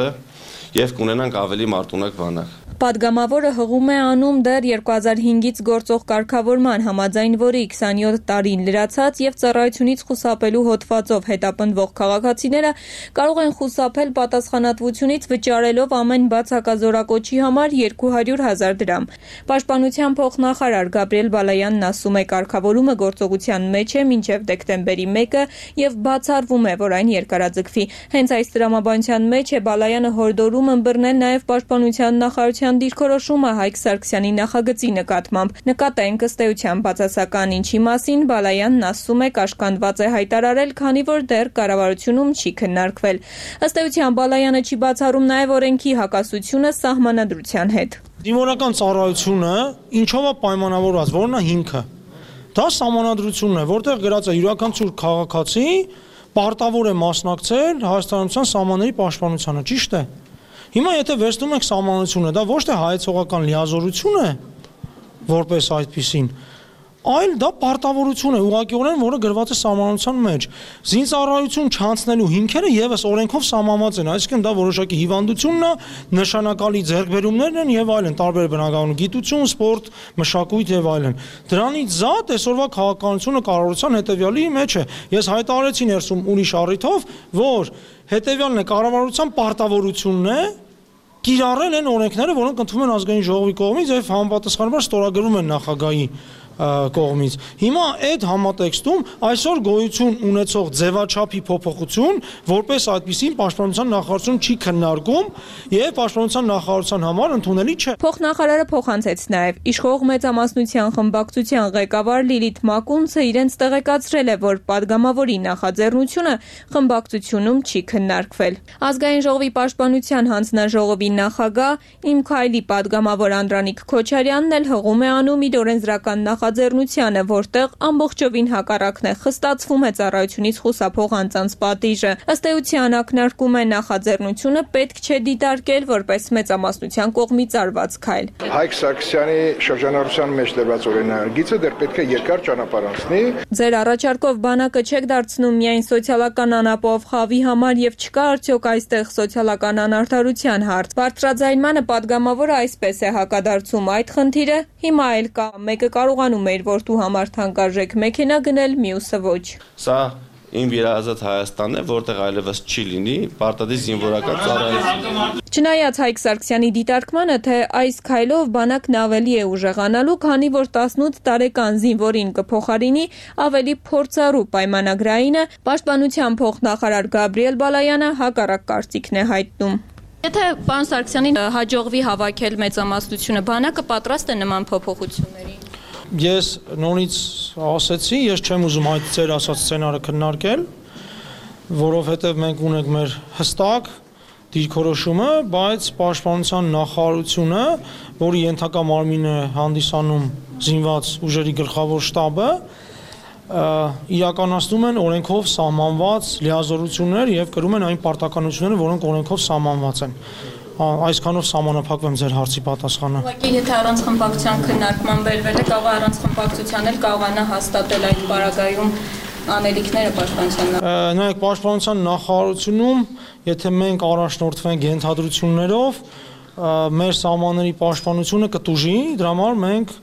[SPEAKER 16] եւ կունենանք ավելի մարտունակ բանակ։
[SPEAKER 15] Падգամավորը հղում է անում դեռ 2005-ից գործող կարգավորման համաձայն, որի 27 տարին լրացած եւ ծառայությունից խուսափելու հոդվածով հետապնդվող քաղաքացիները կարող են խուսափել պատասխանատվությունից վճարելով ամեն բացակազորակոչի համար 200,000 դրամ։ Պաշտպանության փոխնախարար Գաբրիել Բալայանն ասում է, կարգավորումը գործողության մեջ է մինչև դեկտեմբերի 1-ը եւ բացառվում է, որ այն երկարաձգվի։ Հենց այս տրամաբանության մեջ է Բալայանը հորդորում ըմբռնել նաեւ պաշտպանության նախարարության դիրքորոշումը Հայկ Սարգսյանի նախագծի նկատմամբ։ Նկատենք ըստ էության բացասական, ինչի մասին Բալայանն ասում է կաշկանդված է հայտարարել, քանի որ դեռ կառավարությունում չի քննարկվել։ Ըստ էության Բալայանը չի բացառում նաև օրենքի հակասությունը սահմանադրության հետ։
[SPEAKER 17] Զինվորական ծառայությունը ինչով է պայմանավորված, որն է հիմքը։ Դա սահմանադրությունն է, որտեղ գրած է յուրաքանչյուր քաղաքացի պարտավոր է մասնակցել հայաստանյան սահմանների պաշտպանությանը, ճիշտ է։ Հիմա եթե վերցնում ենք սահմանությունը, դա ոչ թե հայեցողական լիազորություն է, որպես այդպիսին, այլ դա պարտավորություն է, ուղղակիորեն, որը գրված է սահմանության մեջ։ Զինծառայություն չանցնելու հիմքերը եւս օրենքով սահմանված են, այսինքն դա որոշակի հիվանդությունն է, նշանակալի ձեռքբերումներն են եւ այլն, տարբեր բնականոն գիտություն, սպորտ, մշակույթ եւ այլն։ Դրանից զատ այսօրվա քաղաքականությունը կառավարության հետեւյալի մեջ է։ Ես հայտարարեցի ներսում ուրիշ առիթով, որ հետեւյալն է կառավարության պարտավորությունն է կիրառել են օրենքները, որոնք ընդունվում են ազգային ժողովի կողմից եւ համապատասխանաբար ստորագրվում են նախագահի կողմից։ Հիմա այդ համատեքստում այսօր գոյություն ունեցող ձևաչափի փոփոխություն, որպես այդպիսին պաշտպանության նախարարություն չի քննարկում եւ պաշտպանության նախարարության համար ընդունելի չէ։
[SPEAKER 15] Փոխնախարարը փոխանցեց նաեւ իշխող մեծամասնության խմբակցության ղեկավար Լիլիթ Մակունցը իրենց տեղեկացրել է, որ падգամավորի նախաձեռնությունը խմբակցությունում չի քննարկվել։ Ազգային ժողովի պաշտպանության հանձնաժողովի նախագահ Իմ քայլի падգամավոր Անդրանիկ Քոչարյանն էլ հղում է անում իր օրենսդրական նախաձեռնությանը, որտեղ ամբողջովին հակառակն է, խստացվում է ծառայությունից խուսափող անձանց պատիժը։ Ըստ էության ակնարկում է նախաձեռնությունը պետք չէ դիտարկել որպես մեծամասնության կողմից արված քայլ։
[SPEAKER 18] Հայկ Սարգսյանի շրջանառության մեջ դրված օրինագիծը դեռ պետք է երկար ճանապարհ անցնի։
[SPEAKER 15] Ձեր առաջարկով բանակը չեք դարձնում միայն սոցիալական անապահով խավի համար եւ չկա արդյոք այստեղ սոցիալական անարդարության հարց։ Բարձրաձայնմանը падգամավորը այսպես է հակադարձում այդ խնդիրը հիմա էլ կա, մեկը կարողանում էր որդու համար թանկարժեք մեքենա գնել, մյուսը ոչ։
[SPEAKER 16] Սա իմ երազած Հայաստանն է, որտեղ այլևս չի լինի պարտադիր զինվորական ծառայություն։
[SPEAKER 15] Չնայած Հայկ Սարգսյանի դիտարկմանը, թե այս քայլով բանակն ավելի է ուժեղանալու, քանի որ 18 տարեկան զինվորին կփոխարինի ավելի փորձառու պայմանագրայինը, պաշտպանության փոխնախարար Գաբրիել Բալայանը հակառակ կարծիքն է հայտնում։ Եթե պարոն Սարգսյանին հաջողվի հավաքել մեծամասնությունը, բանակը պատրաստ է նման փոփոխությունների։
[SPEAKER 17] Ես նորից ասեցի, ես չեմ ուզում այդ ձեր ասած սցենարը քննարկել, որովհետև մենք ունենք մեր հստակ դիրքորոշումը, բայց պաշտպանության նախարարությունը, որի ենթակա մարմին է հանդիսանում զինված ուժերի գլխավոր շտաբը, իրականացնում են օրենքով սահմանված լիազորություններ եւ կրում են այն պարտականությունները, որոնք օրենքով սահմանված են։ Այսքանով սահմանափակվեմ ձեր հարցի պատասխանը։
[SPEAKER 15] Ուղղակի եթե առանց խմբակցության քննարկման բերվել է, կարող է առանց խմբակցության էլ կարողանա հաստատել այդ պարագայում անելիքները պաշտպանության։
[SPEAKER 17] Նայեք, պաշտպանության նախարարությունում, եթե մենք առաջնորդվենք ենթադրություններով, մեր սահմանների պաշտպանությունը կտուժի, դրա համար մենք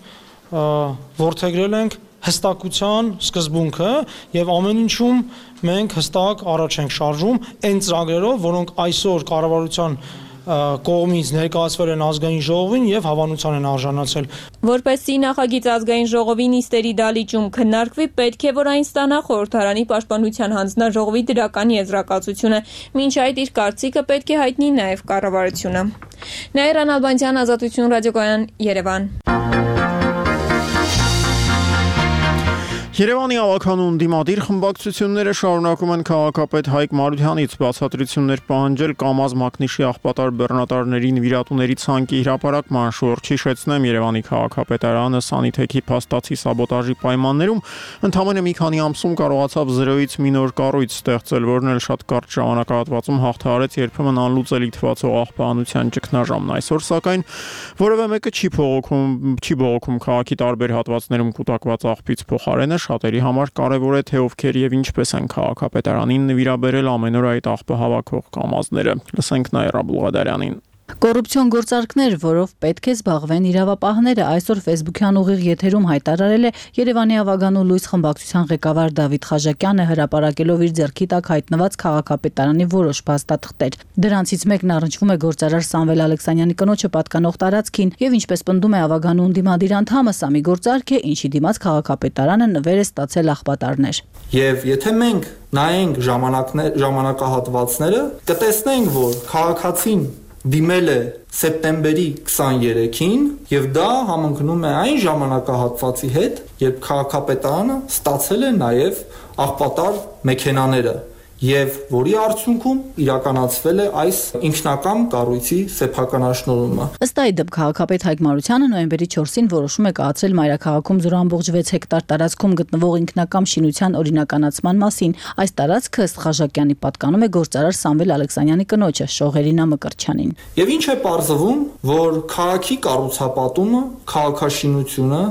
[SPEAKER 17] որդեգրել ենք հստակության սկզբունքը եւ ամեն ինչում մենք հստակ առաջ ենք շարժում այն ծրագրերով, որոնք այսօր կառավարության կողմից ներկայացվել են ազգային ժողովին եւ հավանության են արժանացել։
[SPEAKER 15] Որպեսզի նախագիծ ազգային ժողովի նիստերի դալիճում քննարկվի, պետք է որ այն ստանա խորհրդարանի պաշտպանության հանձնաժողովի դրական եզրակացությունը։ Մինչ այդ իր կարծիքը պետք է հայտնի նաեւ կառավարությունը։ Նաիրա Նալբանդյան, Ազատություն ռադիոկայան, Երևան։
[SPEAKER 1] Երևանի ավականուն դիմադիր խմբակցությունները շարունակում են քաղաքապետ Հայկ Մարությանից բացատրություններ պահանջել Կամազ Մակնիշի աղբատար բեռնատարների նվիրատուների ցանկի հրապարակման շուրջ։ Հիշեցնեմ, Երևանի քաղաքապետարանը Սանիթեքի փաստացի սաբոտաժի պայմաններում ընդամենը մի քանի ամսում կարողացավ 0-ից մի նոր կառույց ստեղծել, որն էլ շատ կարճ ժամանակահատվածում հաղթահարեց երբեմն անլուծելի թվացող աղբանության ճգնաժամն։ Այսօր սակայն որևէ մեկը չի բողոքում քաղաքի տարբեր հատվածներում կուտակված աղբից փոխարենը շատերի համար կարևոր է, թե ովքեր եւ ինչպես են քաղաքապետարանին նվիրաբերել ամեն օր այդ աղբը հավաքող կամազները։ Լսենք Նաիրա Բուլղադարյանին։
[SPEAKER 12] Կոռուպցիոն գործարքներ, որով պետք է զբաղվեն իրավապահները, այսօր Facebook-յան ուղիղ եթերում հայտարարել է Երևանի Ավագանու լույս խմբակցության ղեկավար Դավիթ Խաժակյանը, հրապարակելով իր ձեռքի տակ հայտնված քաղաքապետարանի որոշ փաստաթղթեր։ Դրանցից մեկն առնչվում է գործարար Սամվել Ալեքսանյանի կնոջը պատկանող տարածքին, եւ ինչպես պնդում է Ավագանու ընդդիմադիր անդամը, սա մի գործարք է, ինչի դիմաց քաղաքապետարանը նվեր է ստացել աղբատարներ։
[SPEAKER 19] Եվ եթե մենք նայենք ժամանակահատվածները, կտեսնենք, որ քաղաքացին դիմել է սեպտեմբերի 23-ին եւ դա համընկնում է այն ժամանակահատվածի հետ, երբ քաղաքապետարանը ստացել է նաեւ աղբատար մեքենաները եւ որի արդյունքում իրականացվել է այս ինքնական կառույցի սեփականաշնորհումը։
[SPEAKER 12] Ըստ այդմ քաղաքապետ Հայկ Մարությանը նոյեմբերի 4-ին որոշում է կայացրել Մայրաքաղաքում 0.6 հեկտար տարածքում գտնվող ինքնական շինության օրինականացման մասին։ Այս տարածքը ըստ Խաժակյանի պատկանում է գործարար Սամվել Ալեքսանյանի կնոջը Շողերինա Մկրտչյանին։
[SPEAKER 19] Եվ ինչ է պարզվում, որ քաղաքի կառուցապատումը, քաղաքաշինությունը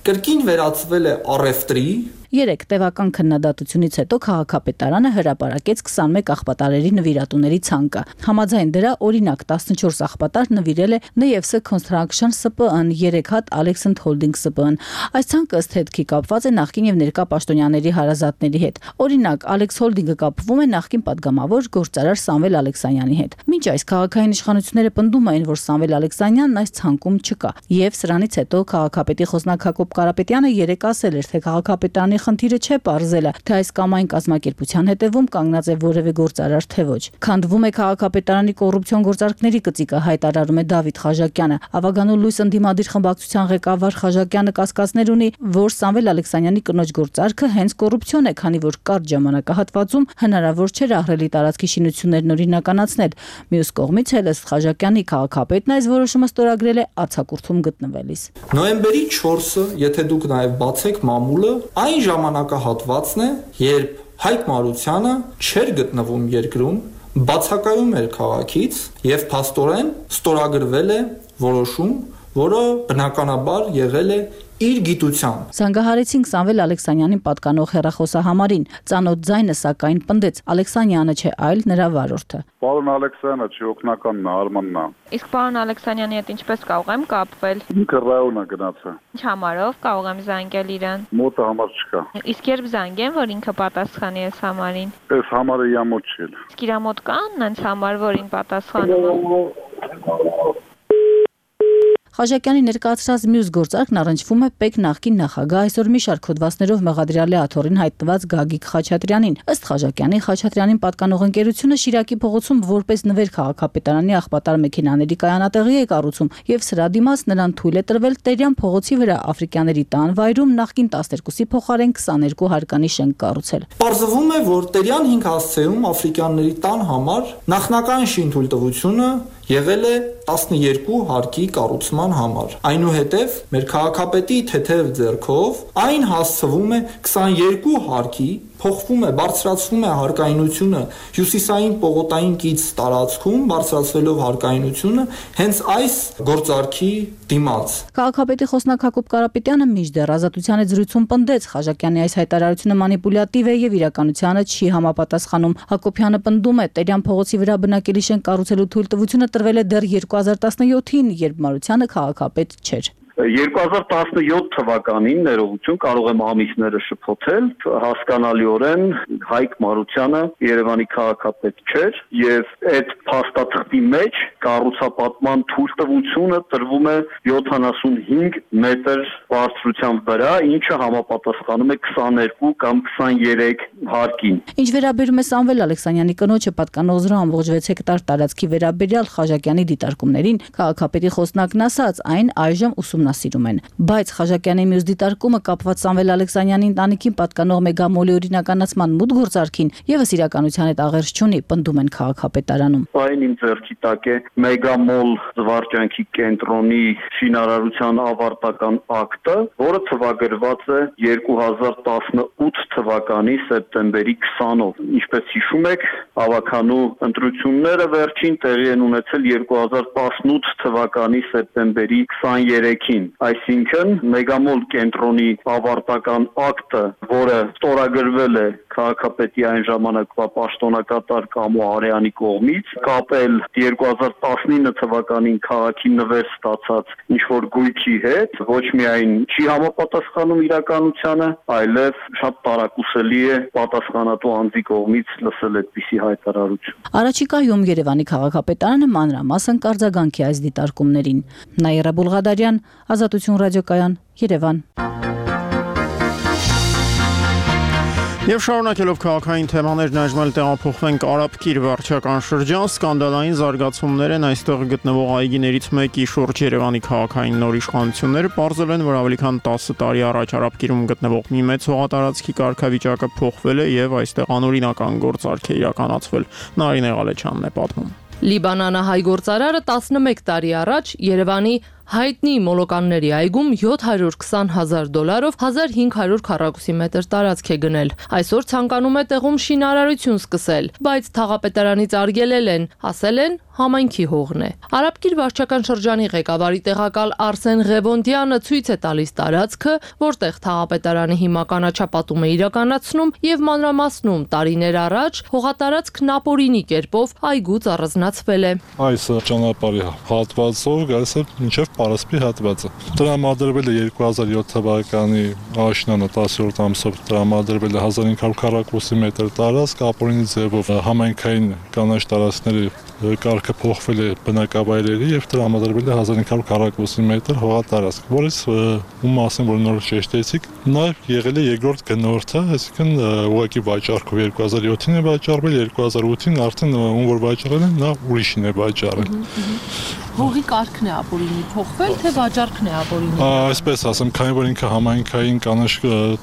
[SPEAKER 19] կրկին վերածվել է առևտրի։
[SPEAKER 12] 3 տևական քննադատությունից հետո քաղաքապետարանը հրապարակեց 21 աղբատարների նվիրատուների ցանկը։ Համաձայն դրա օրինակ 14 աղբատար նվիրել է NYFS Construction SPԸ-ն, 3 հատ Alexand Holding SPԸ-ն։ Այս ցանկը ըստ հետքի կապված է նախկին եւ ներկա պաշտոնյաների հարազատների հետ։ Օրինակ Alex Holding-ը կապվում է նախկին падգամավոր գործարար Սամվել Ալեքսանյանի հետ։ Մինչ այս քաղաքային իշխանությունները պնդում էին, որ Սամվել Ալեքսանյանն այս ցանկում չկա։ Եվ սրանից հետո քաղաքապետի խոսնակ Հակոբ Կարապետյանը երեկ ասել էր, թե քաղաքապետարանի խնդիրը չէ պարզելը, թե այս կամ այն կազմակերպության հետևում կանգնած է որևէ գործարար թե ոչ։ Քանդվում է քաղաքապետարանի կոռուպցիոն գործարքների կծիկը, հայտարարում է Դավիթ Խաժակյանը։ Ավագանու լույս ընդդիմադիր խմբակցության ղեկավար Խաժակյանը կասկածներ ունի, որ Սամվել Ալեքսանյանի կնոջ գործարքը հենց կոռուպցիոն է, քանի որ կարճ ժամանակահատվածում հնարավոր չէր ահռելի տարածքի շինություններն օրինականացնել։ Մյուս կողմից էլ ըստ Խաժակյանի քաղաքապետն այս որոշումը ստորագրել է արձակուրդում գտնվելիս։
[SPEAKER 19] Նոյեմբերի 4-ը, եթե դուք նաև բացեք մամուլը, այն ժամանակահատվածն է, երբ Հայկ Մարությանը չէր գտնվում երկրում, բացակայում էր քաղաքից եւ փաստորեն ստորագրվել է որոշում, որը բնականաբար եղել է իր գիտությամբ։
[SPEAKER 12] Զանգահարեցինք Սամվել Ալեքսանյանին պատկանող հեռախոսահամարին։ Ծանոթ ձայնը սակայն պնդեց Ալեքսանյանը չէ, այլ նրա վարորդը։
[SPEAKER 20] Պարոն Ալեքսյանը չի, օգնականն է, Արմանն է։
[SPEAKER 15] Իսկ պարոն Ալեքսանյանի հետ ինչպես կարող եմ կապվել։
[SPEAKER 20] Ինքը ռայոն է գնացել։
[SPEAKER 15] Ինչ համարով կարող եմ զանգել իրան։
[SPEAKER 20] Մոտը համար չկա։
[SPEAKER 15] Իսկ երբ զանգեմ, որ ինքը պատասխանի այս համարին։
[SPEAKER 20] Այս համարը իրա մոտ չի։
[SPEAKER 15] Իսկ իրա մոտ կան այնց համար, որին պատասխանում է։
[SPEAKER 12] Խաժակյանի ներկայացրած մյուս գործարքն առնչվում է ՊԵԿ նախկին նախագահ, այսօր մի շարք հոդվածներով մեղադրյալ է աթոռին հայտնված Գագիկ Խաչատրյանին։ Ըստ Խաչատրյանի, Խաչատրյանին պատկանող ընկերությունը Շիրակի փողոցում որպես նվեր քաղաքապետարանի աղբատար մեքենաների կայանատեղի է կառուցում, եւ սրա դիմաց նրան թույլ է տրվել Տերյան փողոցի վրա Աֆրիկյանների տան վայրում նախկին 12-ի փոխարեն 22 հարկանի շենք կառուցել։
[SPEAKER 19] Պարզվում է, որ Տերյան 5 հասցեում Աֆրիկյանների տան համար նախնական շինթույլտվությունը եղել է 12 հարկի կառուցման համար։ Այնուհետև մեր քաղաքապետի թեթև ձեռքով այն հասցվում է 22 հարկի, փոխվում է, բարձրացվում է հարկայնությունը հյուսիսային պողոտային կից տարածքում, բարձրացվելով հարկայնությունը հենց այս գործարքի դիմաց։
[SPEAKER 12] Քաղաքապետի խոսնակ Հակոբ Կարապետյանը մինչդեռ Ազատության հետ զրույցում պնդեց Խաչակյանի այս հայտարարությունը մանիպուլյատիվ է եւ իրականությանը չի համապատասխանում։ Հակոբյանը պնդում է Տերյան փողոցի վրա բնակելի շենք կառուցելու թույլտվությունը տրվել է դեռ 2017-ին, երբ Մարությանը քաղաքապետ չէր։
[SPEAKER 21] 2017 թվականին ներողություն, կարող եմ ամիսները շփոթել, հասկանալիորեն Հայկ Մարությանը Երևանի քաղաքապետ չէր եւ այդ փաստաթղթի մեջ կառուցապատման թույլտվությունը տրվում է 75 մետր բարձրության վրա, ինչը համապատասխանում է 22 կամ 23 հարկին։
[SPEAKER 12] Ինչ վերաբերում է Սամվել Ալեքսանյանի կնոջը պատկանող 0.6 հեկտար տարածքի վերաբերյալ Խաչակյանի դիտարկումներին քաղաքապետի խոսնակն ասաց, այն այժմ ուսումնասիրում են, բայց Խաչակյանի մյուս դիտարկումը կապված Սամվել Ալեքսանյանի ընտանիքին պատկանող մեգամոլի օրինականացման մուտք գործարքին եւս իրականության հետ աղերս չունի, պնդում են քաղաքապետարանում։
[SPEAKER 21] Այն իմ ձեռքի տակ է մեգամոլ զվարճանքի կենտրոնի շինարարության ավարտական ակտը, որը թվագրված է 2018 թվականի սեպտեմբերի 20-ով։ Ինչպես հիշում եք, ավականու ընտրությունները վերջին տեղի են ունեցել 2018 թվականի սեպտեմբերի 23-ին։ Այսինքն մեգամոլ կենտրոնի ավարտական ակտը, որը ստորագրվել է քաղաքապետի այն ժամանակվա պաշտոնակատար Կամո Արեանի կողմից, կապել 2019 թվականին քաղաքի նվեր ստացած ինչ-որ գույքի հետ, ոչ միայն չի համապատասխանում իրականությանը, այլև շատ տարակուսելի է պատասխանատու անձի կողմից լսել այդպիսի հայտարարություն։
[SPEAKER 12] Առաջիկայում Երևանի քաղաքապետարանը մանրամասն կարձագանքի այս դիտարկումներին։ Նաիրա Բուլղադարյան, Ազատություն ռադիոկայան, Երևան։
[SPEAKER 1] Եվ շարունակելով քաղաքային թեմաներն այժմ էլ տեղափոխվենք Արաբկիր վարչական շրջան, սկանդալային զարգացումներ են այստեղ գտնվող այգիներից մեկի շուրջ Երևանի քաղաքային նոր իշխանությունները պարզել են, որ ավելի քան 10 տարի առաջ Արաբկիրում գտնվող մի մեծ հողատարածքի կարգավիճակը փոխվել է եւ այստեղ անօրինական գործարք է իրականացվել։ Նարինե Ղալեչյանն է պատմում։
[SPEAKER 22] Լիբանանահայ գործարարը 11 տարի առաջ Երևանի հայտնի մոլոկանների այգում $720,000 1500 քառակուսի մետր տարածք է գնել։ Այսօր ցանկանում է տեղում շինարարություն սկսել, բայց թաղապետարանից արգելել են, ասել են համայնքի հողն է։ Արաբկիր վարչական շրջանի ղեկավարի տեղակալ Արսեն Ղևոնդյանը ցույց է տալիս տարածքը, որտեղ թաղապետարանի հիմնական կանաչապատում է իրականացնում եւ մանրամասնում տարիներ առաջ հողատարածքն ապօրինի կերպով այգուց առանձնացվել է։
[SPEAKER 23] Այս ճանապարհի հատվածով գալիս է մինչև Պարասպի հատվածը։ Տրամադրվել է 2007 թվականի աշնանը 10-րդ ամսով տրամադրվել է 1500 քառակուսի մետր տարածք ապօրինի ձևով համայնքային կանաչ տարածքների կարգը փոխվել է բնակավայրերի եւ տրամադրվել է 1500 քառակուսի մետր հողատարածք, որից ում մասին որ նոր շեշտեցիք, նաեւ եղել է երկրորդ գնորդը, այսինքն ուղղակի վաճառքով 2007-ին է վաճառվել, 2008-ին արդեն ում որ վաճառել են, նա ուրիշին է վաճառել։
[SPEAKER 22] Հողի կարգն է ապօրինի փոխվել, թե վաճառքն է ապօրինի։
[SPEAKER 23] Այսպես ասեմ, քանի որ ինքը համայնքային կանաչ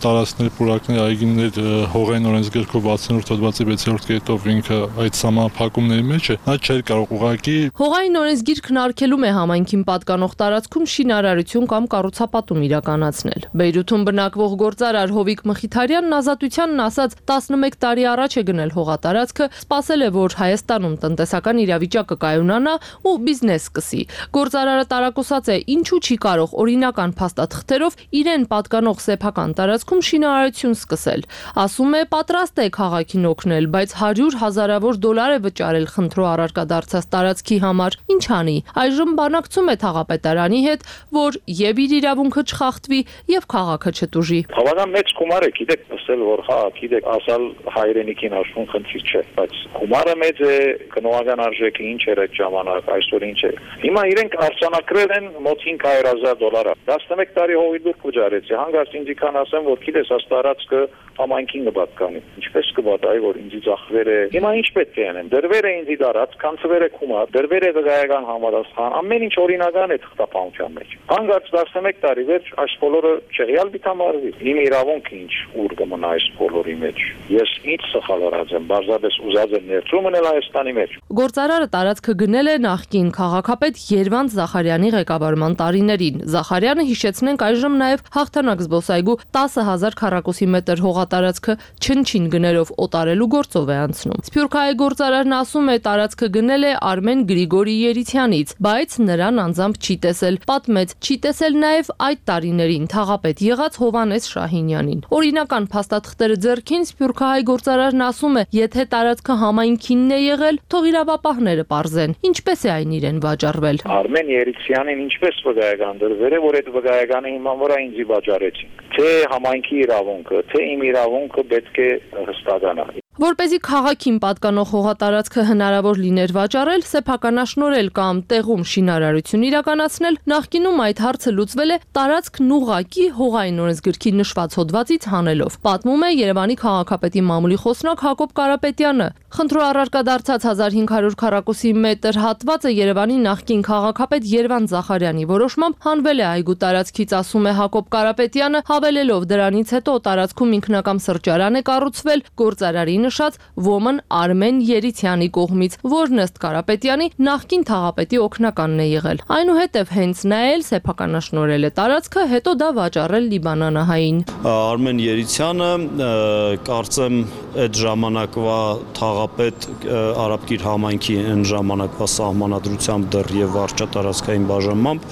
[SPEAKER 23] տարածքների պուրակների այգիներ հողային օրենսգրքով 60-րդ հոդվածի 6-րդ կետով ինքը այդ սահմանափակումների մեջ է, նա չէր կարող ուղղակի
[SPEAKER 22] Հողային օրենսգիրքն արգելում է համայնքին պատկանող տարածքում շինարարություն կամ կառուցապատում իրականացնել։ Բեյրութում բնակվող գործարար Հովիկ Մխիթարյանն Ազատությանն ասաց 11 տարի առաջ է գնել հողատարածքը, սպասել է, որ Հայաստանում տնտեսական իրավիճակը կայունանա ու բիզնես սկսի։ Գործարարը տարակուսած է, ինչու չի կարող օրինական փաստաթղթերով իրեն պատկանող սեփական տարածքում շինարարություն սկսել։ Ասում է, պատրաստ է քաղաքին օգնել, բայց $100,000 է վճարել խնդրո առարկա դարձած տարածքի համար։ Ինչ անի։ Այժմ բանակցում է թաղապետարանի հետ, որ եւ իր իրավունքը չխախտվի եւ քաղաքը չտուժի։
[SPEAKER 24] Բավական մեծ գումար է, գիտեք, ասել որ հա, գիտեք, ասալ հայրենիքին հաշվում խնդիր չէ, բայց գումարը մեծ է, գնողական արժեքը ինչ էր այդ ժամանակ, այսօր ինչ է։ Հիմա իրենք արձանագրել են մոտ $500,000։ 11 տարի հողի դուր փուջարեցի, հանգարց ինձ կան ասեմ, որ գիտես այս տարածքը համայնքին կպատկանի։ Ինչպես կպատկանի, որ ինձ ծախվեր է։ Հիմա ինչ պետք է անեմ։ Դրվեր է ինձ դարած, կանցվեր է քումա, դրվեր է վկայական համադասխան, ամեն ինչ օրինական է թղթապահության մեջ։ Հանգարց 11 տարի վերջ այս բոլորը չեղյալ դիտամարվի։ Իմ իրավունքը ինչ ուր կմնա այս բոլորի մեջ։ Ես ինչ սխալարած եմ, բարձրապես ուզած եմ ներծում մնել Հայաստանի մեջ։
[SPEAKER 22] Գործարարը տարածքը գնել է նախկին քաղաքապետ Երվանդ Զախարյանի ղեկավարման տարիներին։ Զախարյանը, հիշեցնենք, այժմ նաև Հաղթանակ զբոսայգու 10,000 քառակուսի մետր հողատարածքը չնչին գներով օտարելու գործով է անցնում։ Սփյուռքահայ գործարարն ասում է, տարածքը գնել է Արմեն Գրիգորի Երիցյանից, բայց նրան անձամբ չի տեսել։ Պատմեց, չի տեսել նաև այդ տարիներին թաղապետ եղած Հովանես Շահինյանին։ Օրինական փաստաթղթերը ձեռքին Սփյուռքահայ գործարարն ասում է, եթե տարածքը համայնքինն է եղել, թող իրավապահները պարզեն, ինչպես է այն իրեն վաճառվել։
[SPEAKER 24] Արմեն Երիցյանին ինչպես վկայական դրվել է, որ այդ վկայականի հիման վրա ինձ վաճառեցին։ Թե համայնքի իրավունքը, թե իմ իրավունքը պետք է հստականա։
[SPEAKER 22] Որպեսզի քաղաքին պատկանող հողատարածքը հնարավոր լիներ վաճառել, սեփականաշնորհել կամ տեղում շինարարություն իրականացնել, նախկինում այդ հարցը լուծվել է տարածքն ուղղակի հողային օրենսգրքի նշված հոդվածից հանելով։ Պատմում է Երևանի քաղաքապետի մամուլի խոսնակ Հակոբ Կարապետյանը։ Խնդրու առարկա դարձած 1500 քառակուսի մետր հատվածը Երևանի նախկին քաղաքապետ Երվանդ Զախարյանի որոշմամբ հանվել է այգու տարածքից, ասում է Հակոբ Կարապետյանը, հավելելով դրանից հետո տարածքում ինքնական սրճարան է կառուցվել գործարարի նշած Ոմն Արմեն Երիցյանի կողմից, որն ըստ Կարապետյանի նախկին թաղապետի օգնականն է եղել։ Այնուհետև հենց նա էլ սեփականաշնորհել է տարածքը, հետո դա վաճառել Լիբանանահային։
[SPEAKER 2] Արմեն Երիցյանը կարծեմ այդ ժամանակվա թաղապետ Արաբկիր համայնքի այն ժամանակվա սահմանադրությամբ դեռ եւ վարչատարածքային բաժանմամբ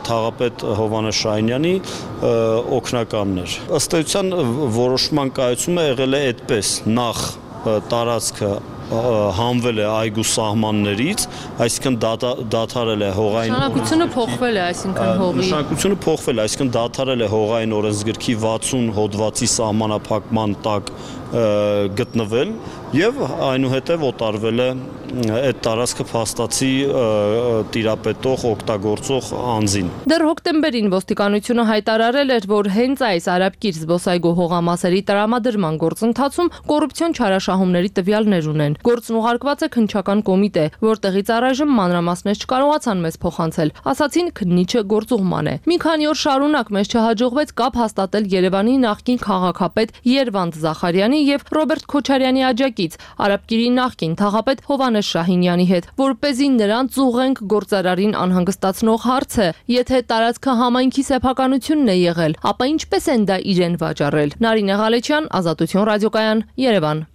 [SPEAKER 2] թաղապետ Հովանես Շահինյանի օգնականն էր։ Ըստ էության որոշման կայացումը եղել է այդպես. նախ տարածքը հանվել է այգու սահմաններից, այսինքն դադարել է հողային
[SPEAKER 22] նշանակությունը փոխվել է, այսինքն հողի
[SPEAKER 2] նշանակությունը փոխվել է, այսինքն դադարել է հողային օրենսգրքի 60 հոդվածի սահմանափակման տակ գտնվել եւ այնուհետեւ օտարվել է այդ տարածքը փաստացի տիրապետող օգտագործող անձին։
[SPEAKER 22] Դեռ հոկտեմբերին ոստիկանությունը հայտարարել էր, որ հենց այս Արաբկիր զբոսայգու հողամասերի տրամադրման գործընթացում կոռուպցիոն չարաշահումների տվյալներ ունեն։ Գործն ուղարկված է քննչական կոմիտե, որտեղից առայժմ մանրամասներ չկարողացան մեզ փոխանցել։ Ասացին քննիչը գործուղման է։ Մի քանի օր շարունակ մեզ չհաջողվեց կապ հաստատել Երևանի նախկին քաղաքապետ Երվանդ Զախարյանի եւ Ռոբերտ Քոչարյանի աջակից Արաբկիրի նախկին թաղապետ Հովանես Շահինյանի հետ, որպեսզի նրան ծուղենք գործարարին անհանգստացնող հարցը, եթե տարածքը համայնքի սեփականությունն է եղել, ապա ինչպես են դա իրեն վաճառել։ Նարինե Ղալեչյան, Ազատություն ռադիոկայան, Երևան։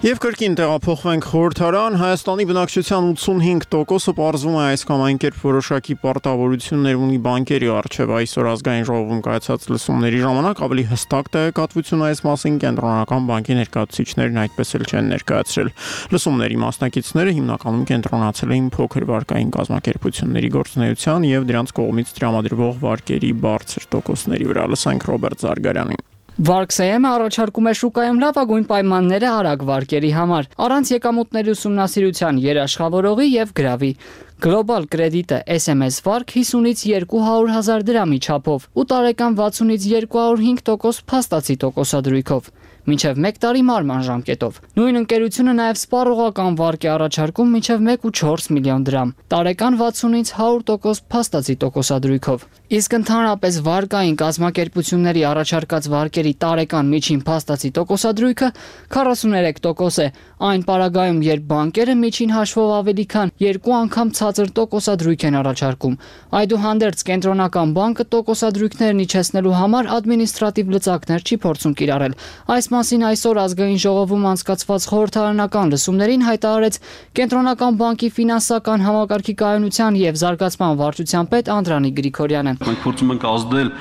[SPEAKER 1] Եվ կրկին տեղափոխվենք խորհրդարան, Հայաստանի բնակչության 85%-ը պարզվում է այս կամ այն կերպ որոշակի պարտավորություններ ունի բանկերի առջև։ Այսօր ազգային ժողովում կայացած լսումների ժամանակ ավելի հստակ տեղեկատվություն այս մասին կենտրոնական բանկի ներկայացուցիչներն այդպես էլ չեն ներկայացրել։ Լսումների մասնակիցները հիմնականում կենտրոնացել էին փոքր վարկային կազմակերպությունների գործունեության եւ դրանց կողմից տրամադրվող վարկերի բարձր տոկոսների վրա։ Լսենք Ռոբերտ Զարգարյանին։
[SPEAKER 3] Վարկսեմ առաջարկում է շուկայում լավագույն պայմանները արագ վարկերի համար, առանց եկամուտների ուսումնասիրության երաշխավորողի եւ գրավի։ Global Credit-ը SMS վարկ 50-ից 200,000 դրամի չափով ու տարեկան 60-ից 205% փաստացի տոկոսադրույքով, մինչև 1 տարի մարման ժամկետով։ Նույն ընկերությունը նաև սպառողական վարկ է առաջարկում մինչև 1.4 միլիոն դրամ, տարեկան 60-ից 100% փաստացի տոկոսադրույքով։ Իսկ ընդհանրապես վարկային կազմակերպությունների առաջարկած վարկերի տարեկան միջին փաստացի տոկոսադրույքը 43% է, այն պարագայում, երբ բանկերը միջին հաշվով ավելի քան 2 անգամ ցածր տոկոսադրույք են առաջարկում։ Այդուհանդերձ կենտրոնական բանկը տոկոսադրույքներն իջեցնելու համար ադմինիստրատիվ լծակներ չի փորձում կիրառել։ Այս մասին այսօր ազգային ժողովում անցկացված խորհրդարանական լսումներին հայտարարեց Կենտրոնական բանկի ֆինանսական համակարգի կայունության եւ զարգացման վարչության պետ Անդրանիկ Գրիգորյանը։
[SPEAKER 4] Մենք փորձում ենք ազդել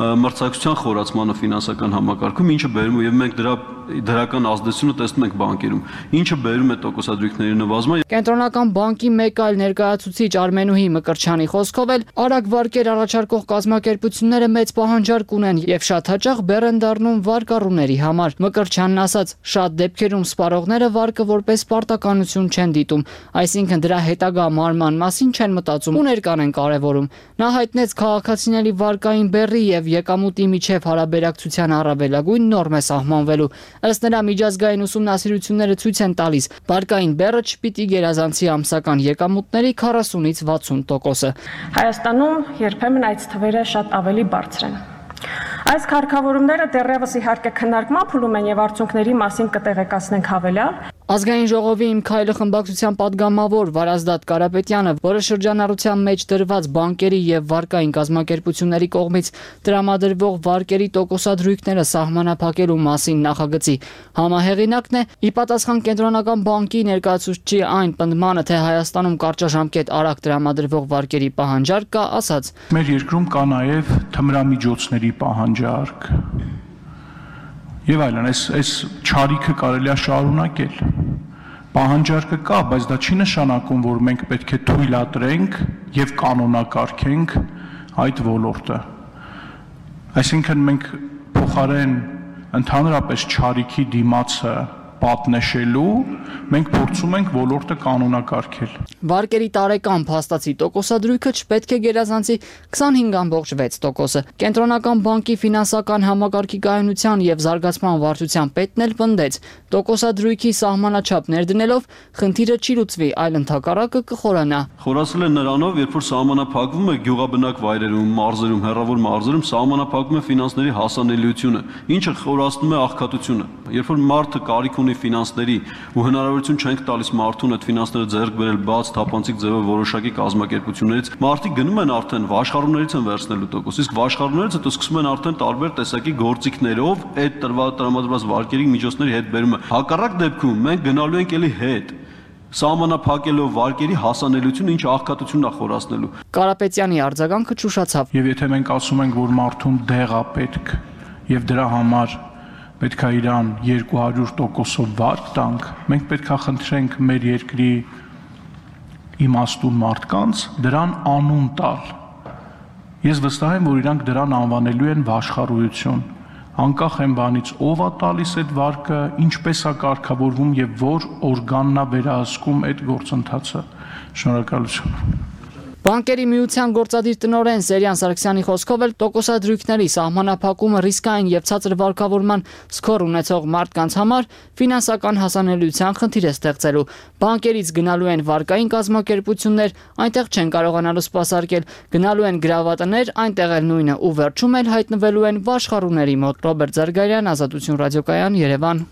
[SPEAKER 4] մրցակցության խորացմանը ֆինանսական համակարգում, ինչը բերում է եւ մենք դրա դրական ազդեցությունը տեսնում ենք բանկերում, ինչը բերում է տոկոսադրույքների նվազման։
[SPEAKER 3] Կենտրոնական բանկի մեկ այլ ներկայացուցիչ Արմենուհի Մկրտչյանի խոսքով էլ արագ վարկեր առաջարկող կազմակերպությունները մեծ պահանջարկ ունեն եւ շատ հաճախ բեռ են դառնում վարկառուների համար։ Մկրտչյանն ասաց, շատ դեպքերում սպառողները վարկը որպես պարտականություն չեն դիտում, այսինքն դրա հետագա մարման մասին չեն մտածում ու ներկան են կարևորում։ Նա հայտնեց քաղաքացիների վարկային բեռի եւ եկամուտի միջև հարաբերակցության առավելագույն նորմ է սահմանվելու։ Ըստ նրա միջազգային ուսումնասիրությունները ցույց են տալիս, վարկային բեռը չպիտի գերազանցի ամսական եկամուտների 40-ից 60%-ը։
[SPEAKER 5] Հայաստանում երբեմն այդ թվերը շատ ավելի բարձր են։ Այս կարգավորումները դեռևս իհարկե քննարկման փուլում են եւ արդյունքների մասին կտեղեկացնենք հավելյալ։
[SPEAKER 3] Ազգային ժողովի Իմ քայլը խմբակցության падգամավոր Վարազդատ Կարապետյանը, որը շրջանառության մեջ դրված բանկերի եւ վարկային կազմակերպությունների կողմից տրամադրվող վարկերի տոկոսադրույքները սահմանափակելու մասին նախագծի համահեղինակն է, ի պատասխան Կենտրոնական բանկի ներկայացուցչի այն պնդմանը, թե Հայաստանում կարճաժամկետ արագ տրամադրվող վարկերի պահանջարկ կա, ասաց.
[SPEAKER 7] Մեր երկրում կա նաեւ թմրամիջոցների պահանջարկ եւ այլն, այս չարիքը կարելի է շարունակել։ Պահանջարկը կա, բայց դա չի նշանակում, որ մենք պետք է թույլատրենք եւ կանոնակարգենք այդ ոլորտը։ Այսինքն մենք փոխարեն ընդհանրապես չարիքի դիմացը պատնեշելու, մենք փորձում ենք ոլորտը կանոնակարգել։
[SPEAKER 3] Վարկերի տարեկան փաստացի տոկոսադրույքը չպետք է գերազանցի 25.6%-ը։ Կենտրոնական բանկի ֆինանսական համակարգի կայունության եւ զարգացման վարչության պետն էլ պնդեց, տոկոսադրույքի սահմանաչափ ներդնելով խնդիրը չի լուծվի, այլ ընդհակառակը կխորանա։
[SPEAKER 4] Խորացել է նրանով, երբ որ սահմանափակվում է գյուղաբնակ վայրերում, մարզերում, հեռավոր մարզերում սահմանափակվում է ֆինանսների հասանելիությունը, ինչը խորացնում է աղքատությունը։ Երբ որ մարդը կարիք ունի ֆինանսների ու հնարավորություն չենք տալիս մարդուն այդ ֆինանսները ձեռք բերել բաց թափանցիկ ձևով որոշակի կազմակերպություններից, մարդիկ գնում են արդեն վաշխառուներից են վերցնելու տոկոս, իսկ վաշխառուներից հետո սկսում են արդեն տարբեր տեսակի գործիքներով այդ տրամադրված վարկերի միջոցների հետ բերումը։ Հակառակ դեպքում մենք գնալու ենք էլի հետ սահմանափակելով վարկերի հասանելիությունը, ինչը աղքատությունն է խորացնելու։
[SPEAKER 3] Կարապետյանի արձագանքը ճուշացավ։
[SPEAKER 7] Եվ եթե մենք ասում ենք, որ մարդուն դեղ է պետք եւ դրա համար պետք է իրան 200%-ով վարկ տանք, մենք պետք է խնդրենք մեր երկրի իմաստուն մարդկանց դրան անուն տալ։ Ես վստահ եմ, որ իրանք դրան անվանելու են վաշխառույություն, անկախ այն բանից ով է տալիս այդ վարկը, ինչպես է կարգավորվում եւ որ օրգանն է վերահսկում այդ գործընթացը։ Շնորհակալություն։
[SPEAKER 3] Բանկերի միության գործադիր տնօրեն Սերյան Սարգսյանի խոսքով էլ տոկոսադրույքների սահմանափակումը ռիսկային եւ ցածր վարկավորման սկոր ունեցող մարդկանց համար ֆինանսական հասանելիության խնդիր է ստեղծելու։ Բանկերից գնալու են վարկային կազմակերպություններ, այնտեղ չեն կարողանալու սպասարկել, գնալու են գրավատներ, այնտեղ էլ նույնը ու վերջում էլ հայտնվելու են վաշխառուների մոտ։ Ռոբերտ Զարգարյան, Ազատություն ռադիոկայան, Երևան։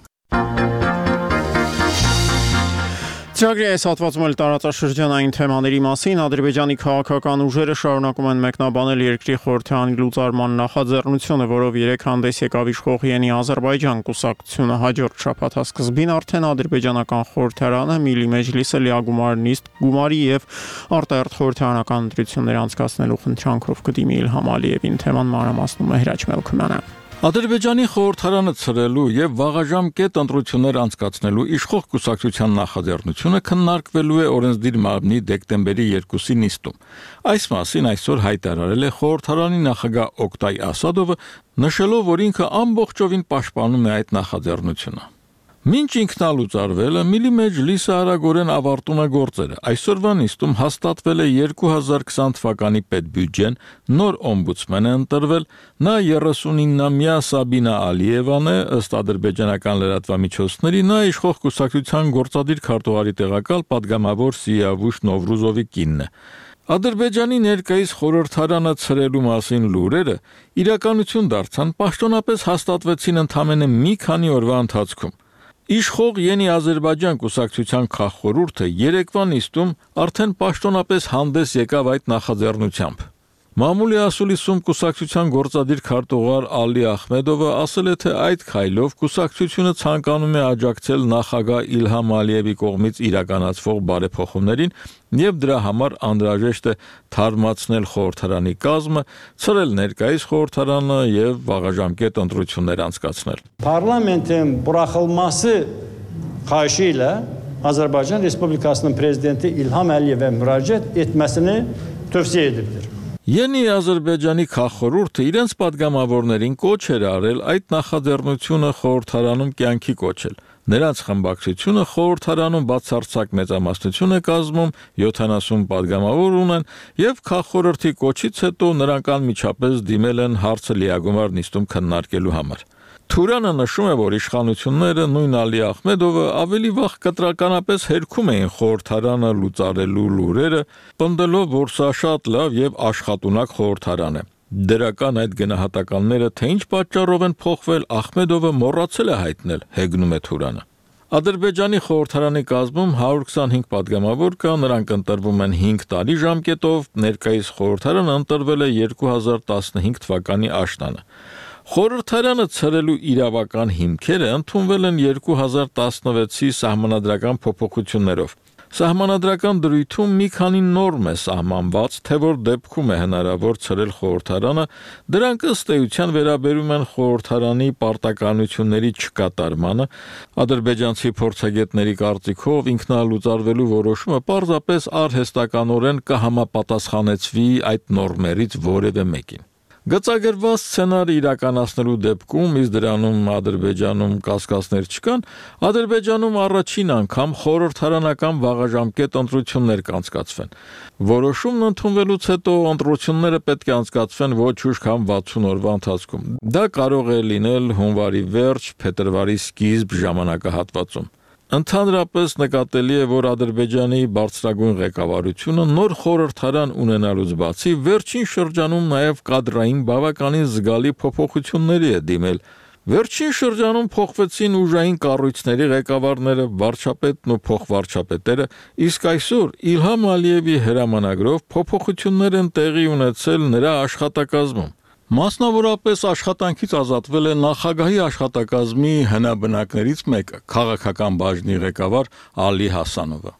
[SPEAKER 1] Ծրագրի այս հատվածում էլ տարածաշրջանային թեմաների մասին Ադրբեջանի քաղաքական ուժերը շարունակում են մեկնաբանել երկրի խորհրդարանի լուծարման նախաձեռնությունը, որով 3 հանդես եկավ իշխող Յենի Ադրբեջան կուսակցությունը հաջորդ շաբաթ սկզբին արդեն ադրբեջանական խորհրդարանը Միլի Մեջլիսը լիագումար նիստ գումարի եւ արտահերթ խորհրդարանական ընտրություններ անցկացնելու խնդրանքով կդիմի Իլհամ Ալիևին։ Թեման մանրամասնում է Հրաչ Մելքումյանը։
[SPEAKER 8] Ադրբեջանի խորհրդարանը ցրելու եւ վաղաժամկետ ընտրություններ անցկացնելու իշխող կուսակցության նախաձեռնությունը քննարկվելու է օրենսդիր մարմնի դեկտեմբերի 2-ի նիստում։ Այս մասին այսօր հայտարարել է խորհրդարանի նախագահ Օկտայ Ասադովը, նշելով, որ ինքը ամբողջովին պաշտպանում է այդ նախաձեռնությունը։ Մինչ ինքնալուծարվելը Միլի Մեջլիսը արագորեն ավարտում է գործերը։ Այսօրվա նիստում հաստատվել է 2020 թվականի պետբյուջեն, նոր օմբուդսմեն է ընտրվել, նա 39-ամյա Սաբինա Ալիևան է, ըստ ադրբեջանական լրատվամիջոցների, նա իշխող կուսակցության գործադիր քարտուղարի տեղակալ պատգամավոր Սիավուշ Նովրուզովի կինն է։ Ադրբեջանի ներկայիս խորհրդարանը ցրելու մասին լուրերը իրականություն դարձան, պաշտոնապես հաստատվեցին ընդամենը մի քանի օրվա ընթացքում։ Իշխող Յենի Ադրբեջան կուսակցության քաղխորհուրդը երեկվա նիստում արդեն պաշտոնապես հանդես եկավ այդ նախաձեռնությամբ։ Մամուլի ասուլիսում կուսակցության գործադիր քարտուղար Ալի Ախմեդովը ասել է, թե այդ քայլով կուսակցությունը ցանկանում է աջակցել նախագահ Իլհամ Ալիևի կողմից իրականացվող բարեփոխումներին եւ դրա համար անհրաժեշտ է թարմացնել խորհրդարանի կազմը, ցրել ներկայիս խորհրդարանը եւ վաղաժամկետ ընտրություններ անցկացնել։
[SPEAKER 6] Parlamentin buraxılması xahişiyle Azərbaycan Respublikasının prezidenti İlham Əliyevə müraciət etməsini tövsiyə edibdir.
[SPEAKER 8] Յենի Ադրբեջանի քաղաքորուրդը իրենց падգամավորներին կոչ էր արել այդ նախաձեռնությունը խորհրդարանում կյանքի կոչել։ Նրանց խմբակցությունը խորհրդարանում բացարձակ մեծամասնություն է կազմում, 70 падգամավոր ունեն եւ քաղաքորորդի կոչից հետո նրանք անմիջապես դիմել են հարցը լիագումար նիստում քննարկելու համար։ Թուրանը նշում է, որ իշխանությունները նույն Ալի Ախմեդովը ավելի վաղ կտրականապես հերքում էին խորհրդարանը լուծարելու լուրերը, պնդելով, որ սա շատ լավ եւ աշխատունակ խորհրդարան է։ Դրական այդ գնահատականները թե ինչ պատճառով են փոխվել, Ախմեդովը մոռացել է հայտնել, հեգնում է Թուրանը։ Ադրբեջանի խորհրդարանի կազմում 125 падգամավոր կա, նրանք ընտրվում են 5 տարի ժամկետով, ներկայիս խորհրդարանը ընտրվել է 2015 թվականի աշնանը։ Խորհրդարանը ցրելու իրավական հիմքերը ընդունվել են 2016-ի սահմանադրական փոփոխություններով։ Սահմանադրական դրույթում մի քանի նորմ է սահմանված, թե որ դեպքում է հնարավոր ցրել խորհրդարանը, դրանք ըստ էության վերաբերում են խորհրդարանի պարտականությունների չկատարմանը։ Ադրբեջանցի փորձագետների կարծիքով ինքնալուծարվելու որոշումը պարզապես արհեստականորեն կհամապատասխանեցվի այդ նորմերից որևէ մեկին։ Գծագրված սցենարը իրականացնելու դեպքում, իսկ դրանում Ադրբեջանում կասկածներ չկան, Ադրբեջանում առաջին անգամ խորհրդարանական վաղաժամկետ ընտրություններ կանցկացվեն։ Որոշումն ընդունվելուց հետո ընտրությունները պետք է անցկացվեն ոչ ուշ քան 60 օրվա ընթացքում։ Դա կարող է լինել հունվարի վերջ, փետրվարի սկիզբ ժամանակահատվածում։ Ընդհանրապես նկատելի է, որ Ադրբեջանի բարձրագույն ղեկավարությունը նոր խորհրդարան ունենալուց բացի վերջին շրջանում նաև կադրային բավականին զգալի փոփոխությունների է դիմել։ Վերջին շրջանում փոխվեցին ուժային կառույցների ղեկավարները, վարչապետն ու փոխվարչապետերը, իսկ այսօր Իլհամ Ալիևի հրամանագրով փոփոխություններ են տեղի ունեցել նրա աշխատակազմում։ Մասնավորապես աշխատանքից ազատվել է նախագահի աշխատակազմի հնաբնակներից մեկը, քաղաքական բաժնի ղեկավար Ալի Հասանովը։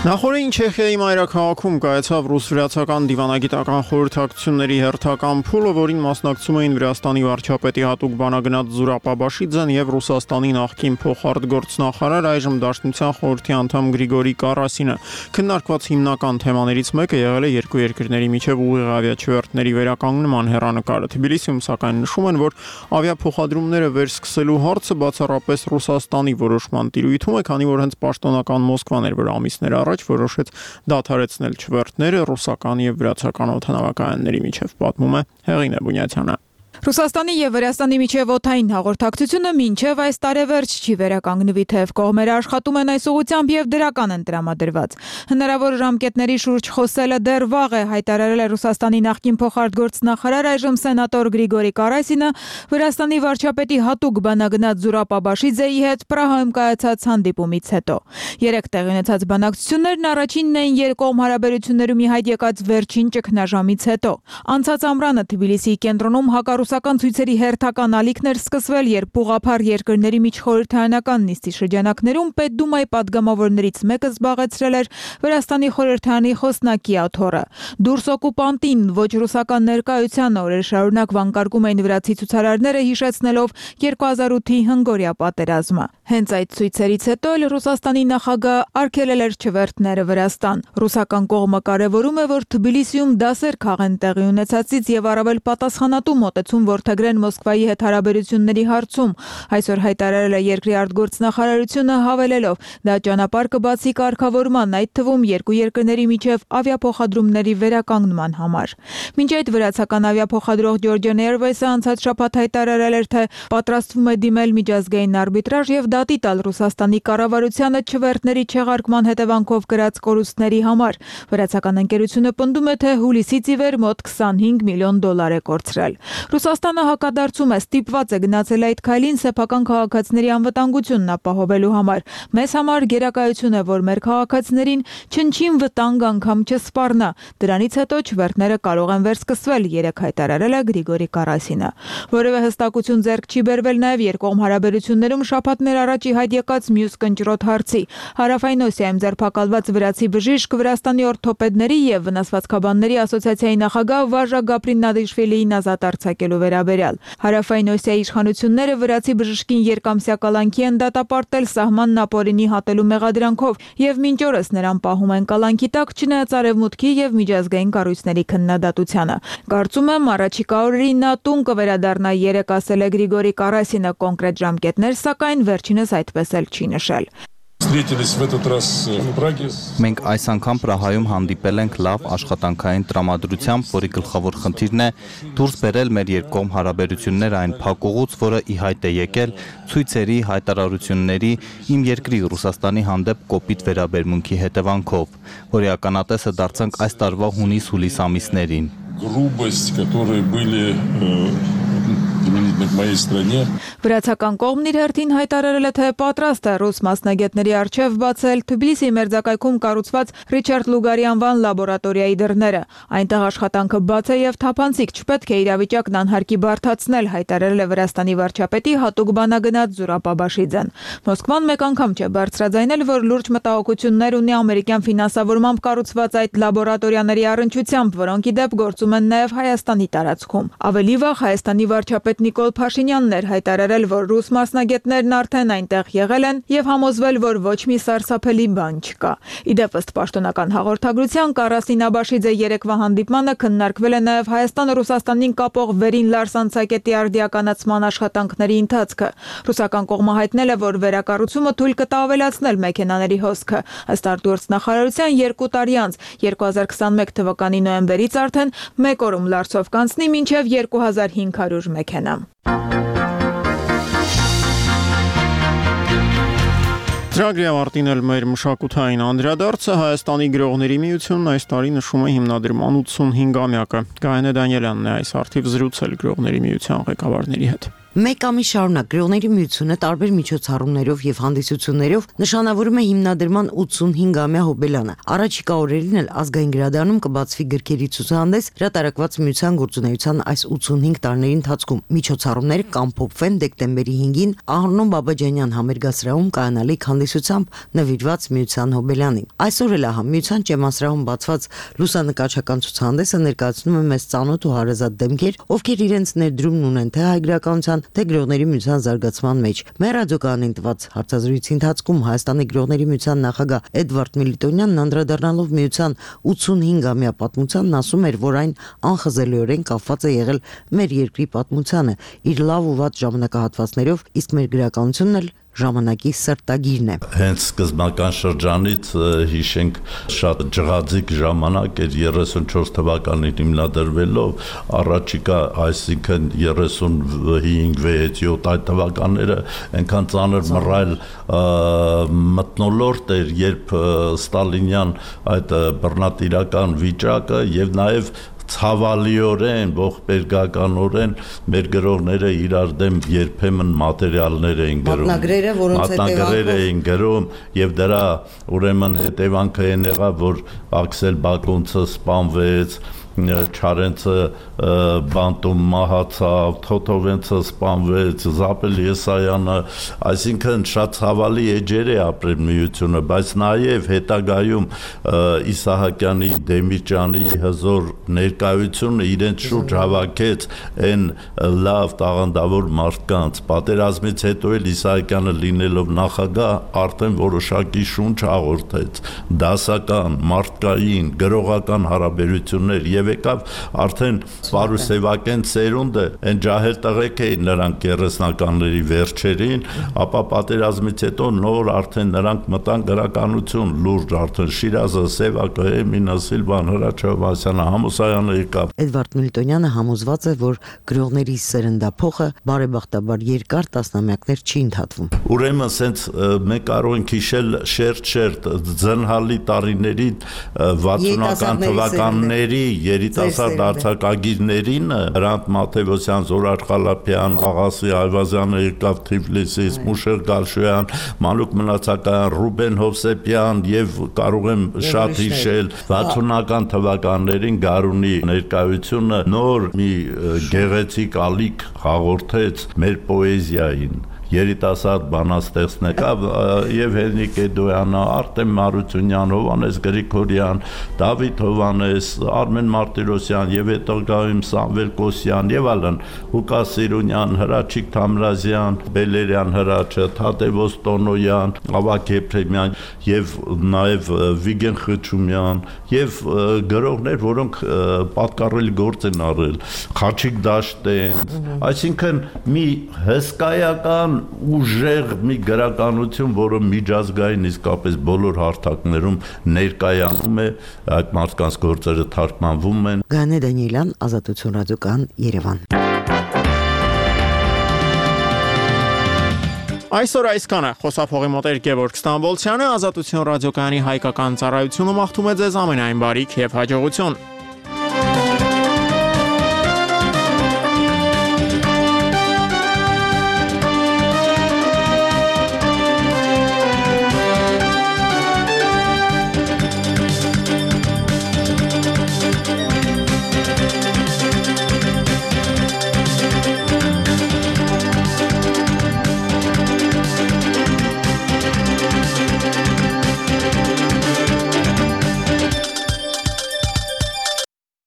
[SPEAKER 1] Նախորդին Չեխիայի մայրաքաղաքում կայացավ ռուս-վրացական դիվանագիտական խորհրդակցությունների հերթական փուլը, որին մասնակցում էին Վրաստանի վարչապետի հատուկ բանագնաց Զուրապ Աբաշիձեն եւ Ռուսաստանի նախկին փոխարտգործնախարար, այժմ Դաշնության խորհրդի անդամ Գրիգորի Կարասինը։ Քննարկված հիմնական թեմաներից մեկը եղել է երկու երկրների միջև ուղիղ ավիաչվերթների վերականգնման հեռանկարը։ Թբիլիսիում սակայն նշում են, որ ավիափոխադրումները վերսկսելու հարցը բացառապես Ռուսաստանի որոշման տիրույթում է, քանի որ հենց պաշտոնական Մոսկվան էր, որ ամիսներ առաջ որոշեց դադարեցնել չվերթները ռուսական եւ վրացական օդանավակայանների միջև, պատմում է Հեղինե Բունյացյանը։
[SPEAKER 9] Ռուսաստանի եւ Վրաստանի միջև օդային հաղորդակցությունը մինչև այս տարեվերջ չի վերականգնվի, թեև կողմերը աշխատում են այս ուղղությամբ եւ դրական են տրամադրված։ Հնարավոր ժամկետների շուրջ խոսելը դեռ վաղ է, հայտարարել է Ռուսաստանի նախկին փոխարտգործնախարար, այժմ սենատոր Գրիգորի Կարասինը Վրաստանի վարչապետի հատուկ բանագնաց Զուրապ Աբաշիձեի հետ Պրահայում կայացած հանդիպումից հետո։ Երեք տեղի ունեցած բանակցություններն առաջինն էին երկկողմ հարաբերություններում ի հայտ եկած վերջին ճգնաժամից հետո։ Անցած ամռանը Թբիլիսիի կենտրոնում հակառուսական ցույցերի հերթական ալիքներ սկսվել, երբ ուղղափառ երկրների միջխորհրդարանական նիստի շրջանակներում Պետդումայի падգամավորներից մեկը զբաղեցրել էր Վրաստանի խորհրդարանի խոսնակի աթոռը։ Դուրս օկուպանտին ոչ ռուսական ներկայության օրեր շարունակ վանկարկում էին վրացի ցուցարարները, հիշեցնելով 2008-ի հնգօրյա պատերազմը։ Հենց այդ ցույցերից հետո էլ Ռուսաստանի նախագահ արգելել էր չվերթները Վրաստան։ Ռուսական կողմը կարևորում է, որ Թբիլիսիում դասեր քաղեն տեղի ունեցածից եւ առավել պատասխանատու մոտեցում որդեգրեն Մոսկվայի հետ հարաբերությունների հարցում։ Այսօր հայտարարել է երկրի արտգործնախարարությունը, հավելելով, դա ճանապարհ կբացի կարգավորման, այդ թվում երկու երկրների միջև ավիափոխադրումների վերականգնման համար։ Մինչ այդ վրացական ավիափոխադրող Georgian Airways-ը անցած շաբաթ հայտարարել էր, թե պատրաստվում է դիմել միջազգային արբիտրաժ եւ դատի տալ Ռուսաստանի կառավարությանը չվերթների չեղարկման հետևանքով կրած կորուստների համար։ Վրացական ընկերությունը պնդում է, թե հուլիսից ի վեր մոտ $25 միլիոն է կորցրել։ Ռուսաստանը հակադարձում է, ստիպված է գնացել այդ քայլին սեփական քաղաքացիների անվտանգությունն ապահովելու համար։ Մեզ համար գերակայություն է, որ մեր քաղաքացիներին չնչին վտանգ անգամ չսպառնա։ Դրանից հետո չվերթները կարող են վերսկսվել, երեկ հայտարարել է Գրիգորի Կարասինը։ Որևէ հստակություն ձեռք չի բերվել նաև երկկողմ հարաբերություններում շաբաթներ առաջ ի հայտ եկած մյուս կնճռոտ հարցի։ Հարավային Օսիայում ձերբակալված վրացի բժիշկ Վրաստանի օրթոպեդների եւ վնասվածքաբանների ասոցիացիայի նախագահ Վաժա Գապրինադիշվիլիին ազատ արձակելու վերաբերյալ։ Հարավային Օսիայի իշխանությունները վրացի բժշկին երկամսյա կալանքի են դատապարտել սահմանն ապօրինի հատելու մեղադրանքով եւ մինչ օրս նրան պահում են կալանքի տակ չնայած արևմուտքի եւ միջազգային կառույցների քննադատությանը։ Կարծում եմ առաջիկա օրերին նա տուն կվերադառնա, երեկ ասել է Գրիգորի Կարասինը, կոնկրետ ժամկետներ սակայն վերջինս այդպես էլ չի նշել։
[SPEAKER 10] Մենք այս անգամ Պրահայում հանդիպել ենք լավ աշխատանքային տրամադրությամբ, որի գլխավոր խնդիրն է դուրս բերել մեր երկկողմ հարաբերությունները այն փակուղուց, որը ի հայտ է եկել ցույցերի, հայտարարությունների, իմ երկրի Ռուսաստանի հանդեպ կոպիտ վերաբերմունքի հետևանքով, որի ականատեսը դարձանք այս տարվա հունիս-հուլիս ամիսներին։
[SPEAKER 9] Վրացական կողմն իր հերթին հայտարարել է, թե պատրաստ է ռուս մասնագետների առջև բացել Թբիլիսի մերձակայքում կառուցված Ռիչարդ Լուգարի անվան լաբորատորիայի դռները։ Այնտեղ աշխատանքը բաց է եւ թափանցիկ, չպետք է իրավիճակն անհարկի բարդացնել, հայտարարել է Վրաստանի վարչապետի հատուկ բանագնաց Զուրապ Աբաշիձեն։ Մոսկվան մեկ անգամ չէ բարձրաձայնել, որ լուրջ մտահոգություններ ունի ամերիկյան ֆինանսավորմամբ կառուցված այդ լաբորատորիաների առնչությամբ, որոնք ի դեպ գործում են նաեւ Հայաստանի տարածքում։ Ավելի վաղ Հայաստանի վարչապետ Նիկոլ Փաշինյանն էր հայտարարել, որ ռուս մասնագետներն արդեն այնտեղ եղել են եւ համոզվել, որ ոչ մի սարսափելի բան չկա։ Իդեպ ըստ պաշտոնական հաղորդագրության Կարասին Աբաշիձե երեկվա հանդիպմանը քննարկվել է նաեւ Հայաստան-Ռուսաստանին կապող վերին Լարսանցակետի արդիականացման աշխատանքների ընթացքը։ Ռուսական կողմը հայտնել է, որ վերակառուցումը թույլ կտա ավելացնել մեքենաների հոսքը։ Ըստ արտգործնախարարության 2 տարի անց 2021 թվականի նոյեմբերից արդեն 1 օրում Լարսով կանցնի մինչև 2500 մեքենա։
[SPEAKER 1] Ծրագրի ավարտին էլ մեր մշակութային անդրադարձը Հայաստանի գրողների միությունն այս տարի նշում է հիմնադրման 85-ամյակը։ Գայանե Դանիելյանն է այս արդիվ զրուցել գրողների միության ղեկավարների հետ։
[SPEAKER 11] Մեկ ամիս շարունակ գրողների միությունը տարբեր միջոցառումներով եւ հանդիսություններով նշանավորում է հիմնադրման 85-ամյա հոբելանը։ Առաջիկա օրերին էլ ազգային գրադարանում կբացվի գրքերի ցուցահանդես հրատարակված միության գործունեության այս 85 տարիների ընթացքում։ Միջոցառումները կամփոփվեն դեկտեմբերի 5-ին Ահռոն Բաբաջանյան համերգասրահում կայանալիք հանդիսությամբ նվիրված միության հոբելյանին։ Այսօր էլ միության ճեմասրահում բացված լուսանկարչական ցուցահանդեսը ներկայացնում է մեծ ծանոթ ու հարազատ դեմքեր, ովքեր իրենց ներդրումն ունեն թե հայ գրականության թե գրողների միության զարգացման մեջ։ Մեր ռադիոկայանին տված հարցազրույցի ընթացքում Հայաստանի գրողների միության նախագահ Էդվարդ Միլիտոնյանն անդրադառնալով միության 85-ամյա պատմությանն ասում էր, որ այն անխզելիորեն կապված է եղել մեր երկրի պատմությանը, իր լավ ու վատ ժամանակահատվածներով, իսկ մեր գրականությունն էլ ժամանակի սրտագիրն է։
[SPEAKER 13] Հենց սկզբնական շրջանից հիշենք շատ ջղաձիկ ժամանակ էր 34 թվականին հիմնադրվելով, առաջիկա, այսինքն 35-6-7 այդ թվականները այնքան ծանր մռայլ մթնոլորտ էր, երբ ստալինյան այդ բռնատիրական վիճակը եւ նաեւ ցավալիորեն, ողբերգականորեն մեր գրողները իրար դեմ երբեմն մատերիալներ էին գրում, մատնագրեր էին գրում եւ դրա ուրեմն հետևանքը այն եղավ, որ Աքսել Բակունցը սպանվեց, Չարենցը բանտում մահացավ, Թոթովենցը սպանվեց, Զապել Եսայանը, այսինքն շատ ցավալի էջեր է ապրել միությունը, բայց նաև հետագայում Իսահակյանի, Դեմիրճյանի հզոր ներկայությունը իրենց շուրջ հավաքեց այն լավ տաղանդավոր մարդկանց։ Պատերազմից հետո էլ Իսահակյանը լինելով նախագահ արդեն որոշակի շունչ հաղորդեց դասական, մարդկային, գրողական հարաբերություններ եւ եւ եկավ արդեն Պարուսեվակեն ծերունդը, այն ջահել տղեկ էին նրանք գերեսնականների վերջերին, ապա պատերազմից հետո նոր արդեն նրանք մտան գրականություն, լուրջ արդեն Շիրազը, Սևակը, Էմինը, Սիլվան, Հրաչովասյանը, Համոսայանը եկավ։
[SPEAKER 11] Էդվարդ Միլտոնյանը համոզված է, որ գրողների սերնդափոխը բարեբախտաբար երկար տասնամյակներ չի ընդհատվում։
[SPEAKER 13] Ուրեմն սենց մենք կարող ենք հիշել շերտ ձնհալի տարիների 60-ական թվականների երիտասարդ արձակագիրներին, Հրանտ Մաթևոսյան, Զորայր Խալափյան, Աղասի Այվազյանը եկավ Թիֆլիսից, Մուշեղ Գալշոյան, Մանուկ Մնացակայան, Ռուբեն Հովսեփյան եւ կարող եմ շատ հիշել 60-ական թվականներին Գարունի ներկայությունը նոր մի գեղեցիկ ալիք հաղորդեց մեր պոեզիային երիտասարդ բանաստեղծներ կավ եւ Հենրիկ Էդոյանը, Արտեմ Մարությունյան, Հովանես Գրիգորյան, Դավիթ Հովանես, Արմեն Մարտիրոսյան եւ հետագայում Սամվել Կոսյան եւ այլն, Ղուկաս Սիրունյան, Հրաչիկ Թամրազյան, Բելերյան Հրաչը, Թադևոս Տոնոյան, Ավագ Եփրեմյան եւ նաեւ Վիգեն Խճումյան եւ գրողներ, որոնք պատկառելի գործ են արել, Խաչիկ Դաշտեն, այսինքն մի հսկայական ուժեղ մի գրականություն, որը միջազգային իսկապես բոլոր հարթակներում ներկայանում է, այդ մարդկանց գործերը թարգմանվում են։
[SPEAKER 11] Գանե Դանիելյան, Ազատություն ռադիոկայան, Երևան։
[SPEAKER 1] Այսօր այսքանը, խոսափողի մոտ էր Գևորգ Ստամբոլցյանը, Ազատություն ռադիոկայանի հայկական ծառայությունը մաղթում է ձեզ ամենայն բարիք եւ հաջողություն։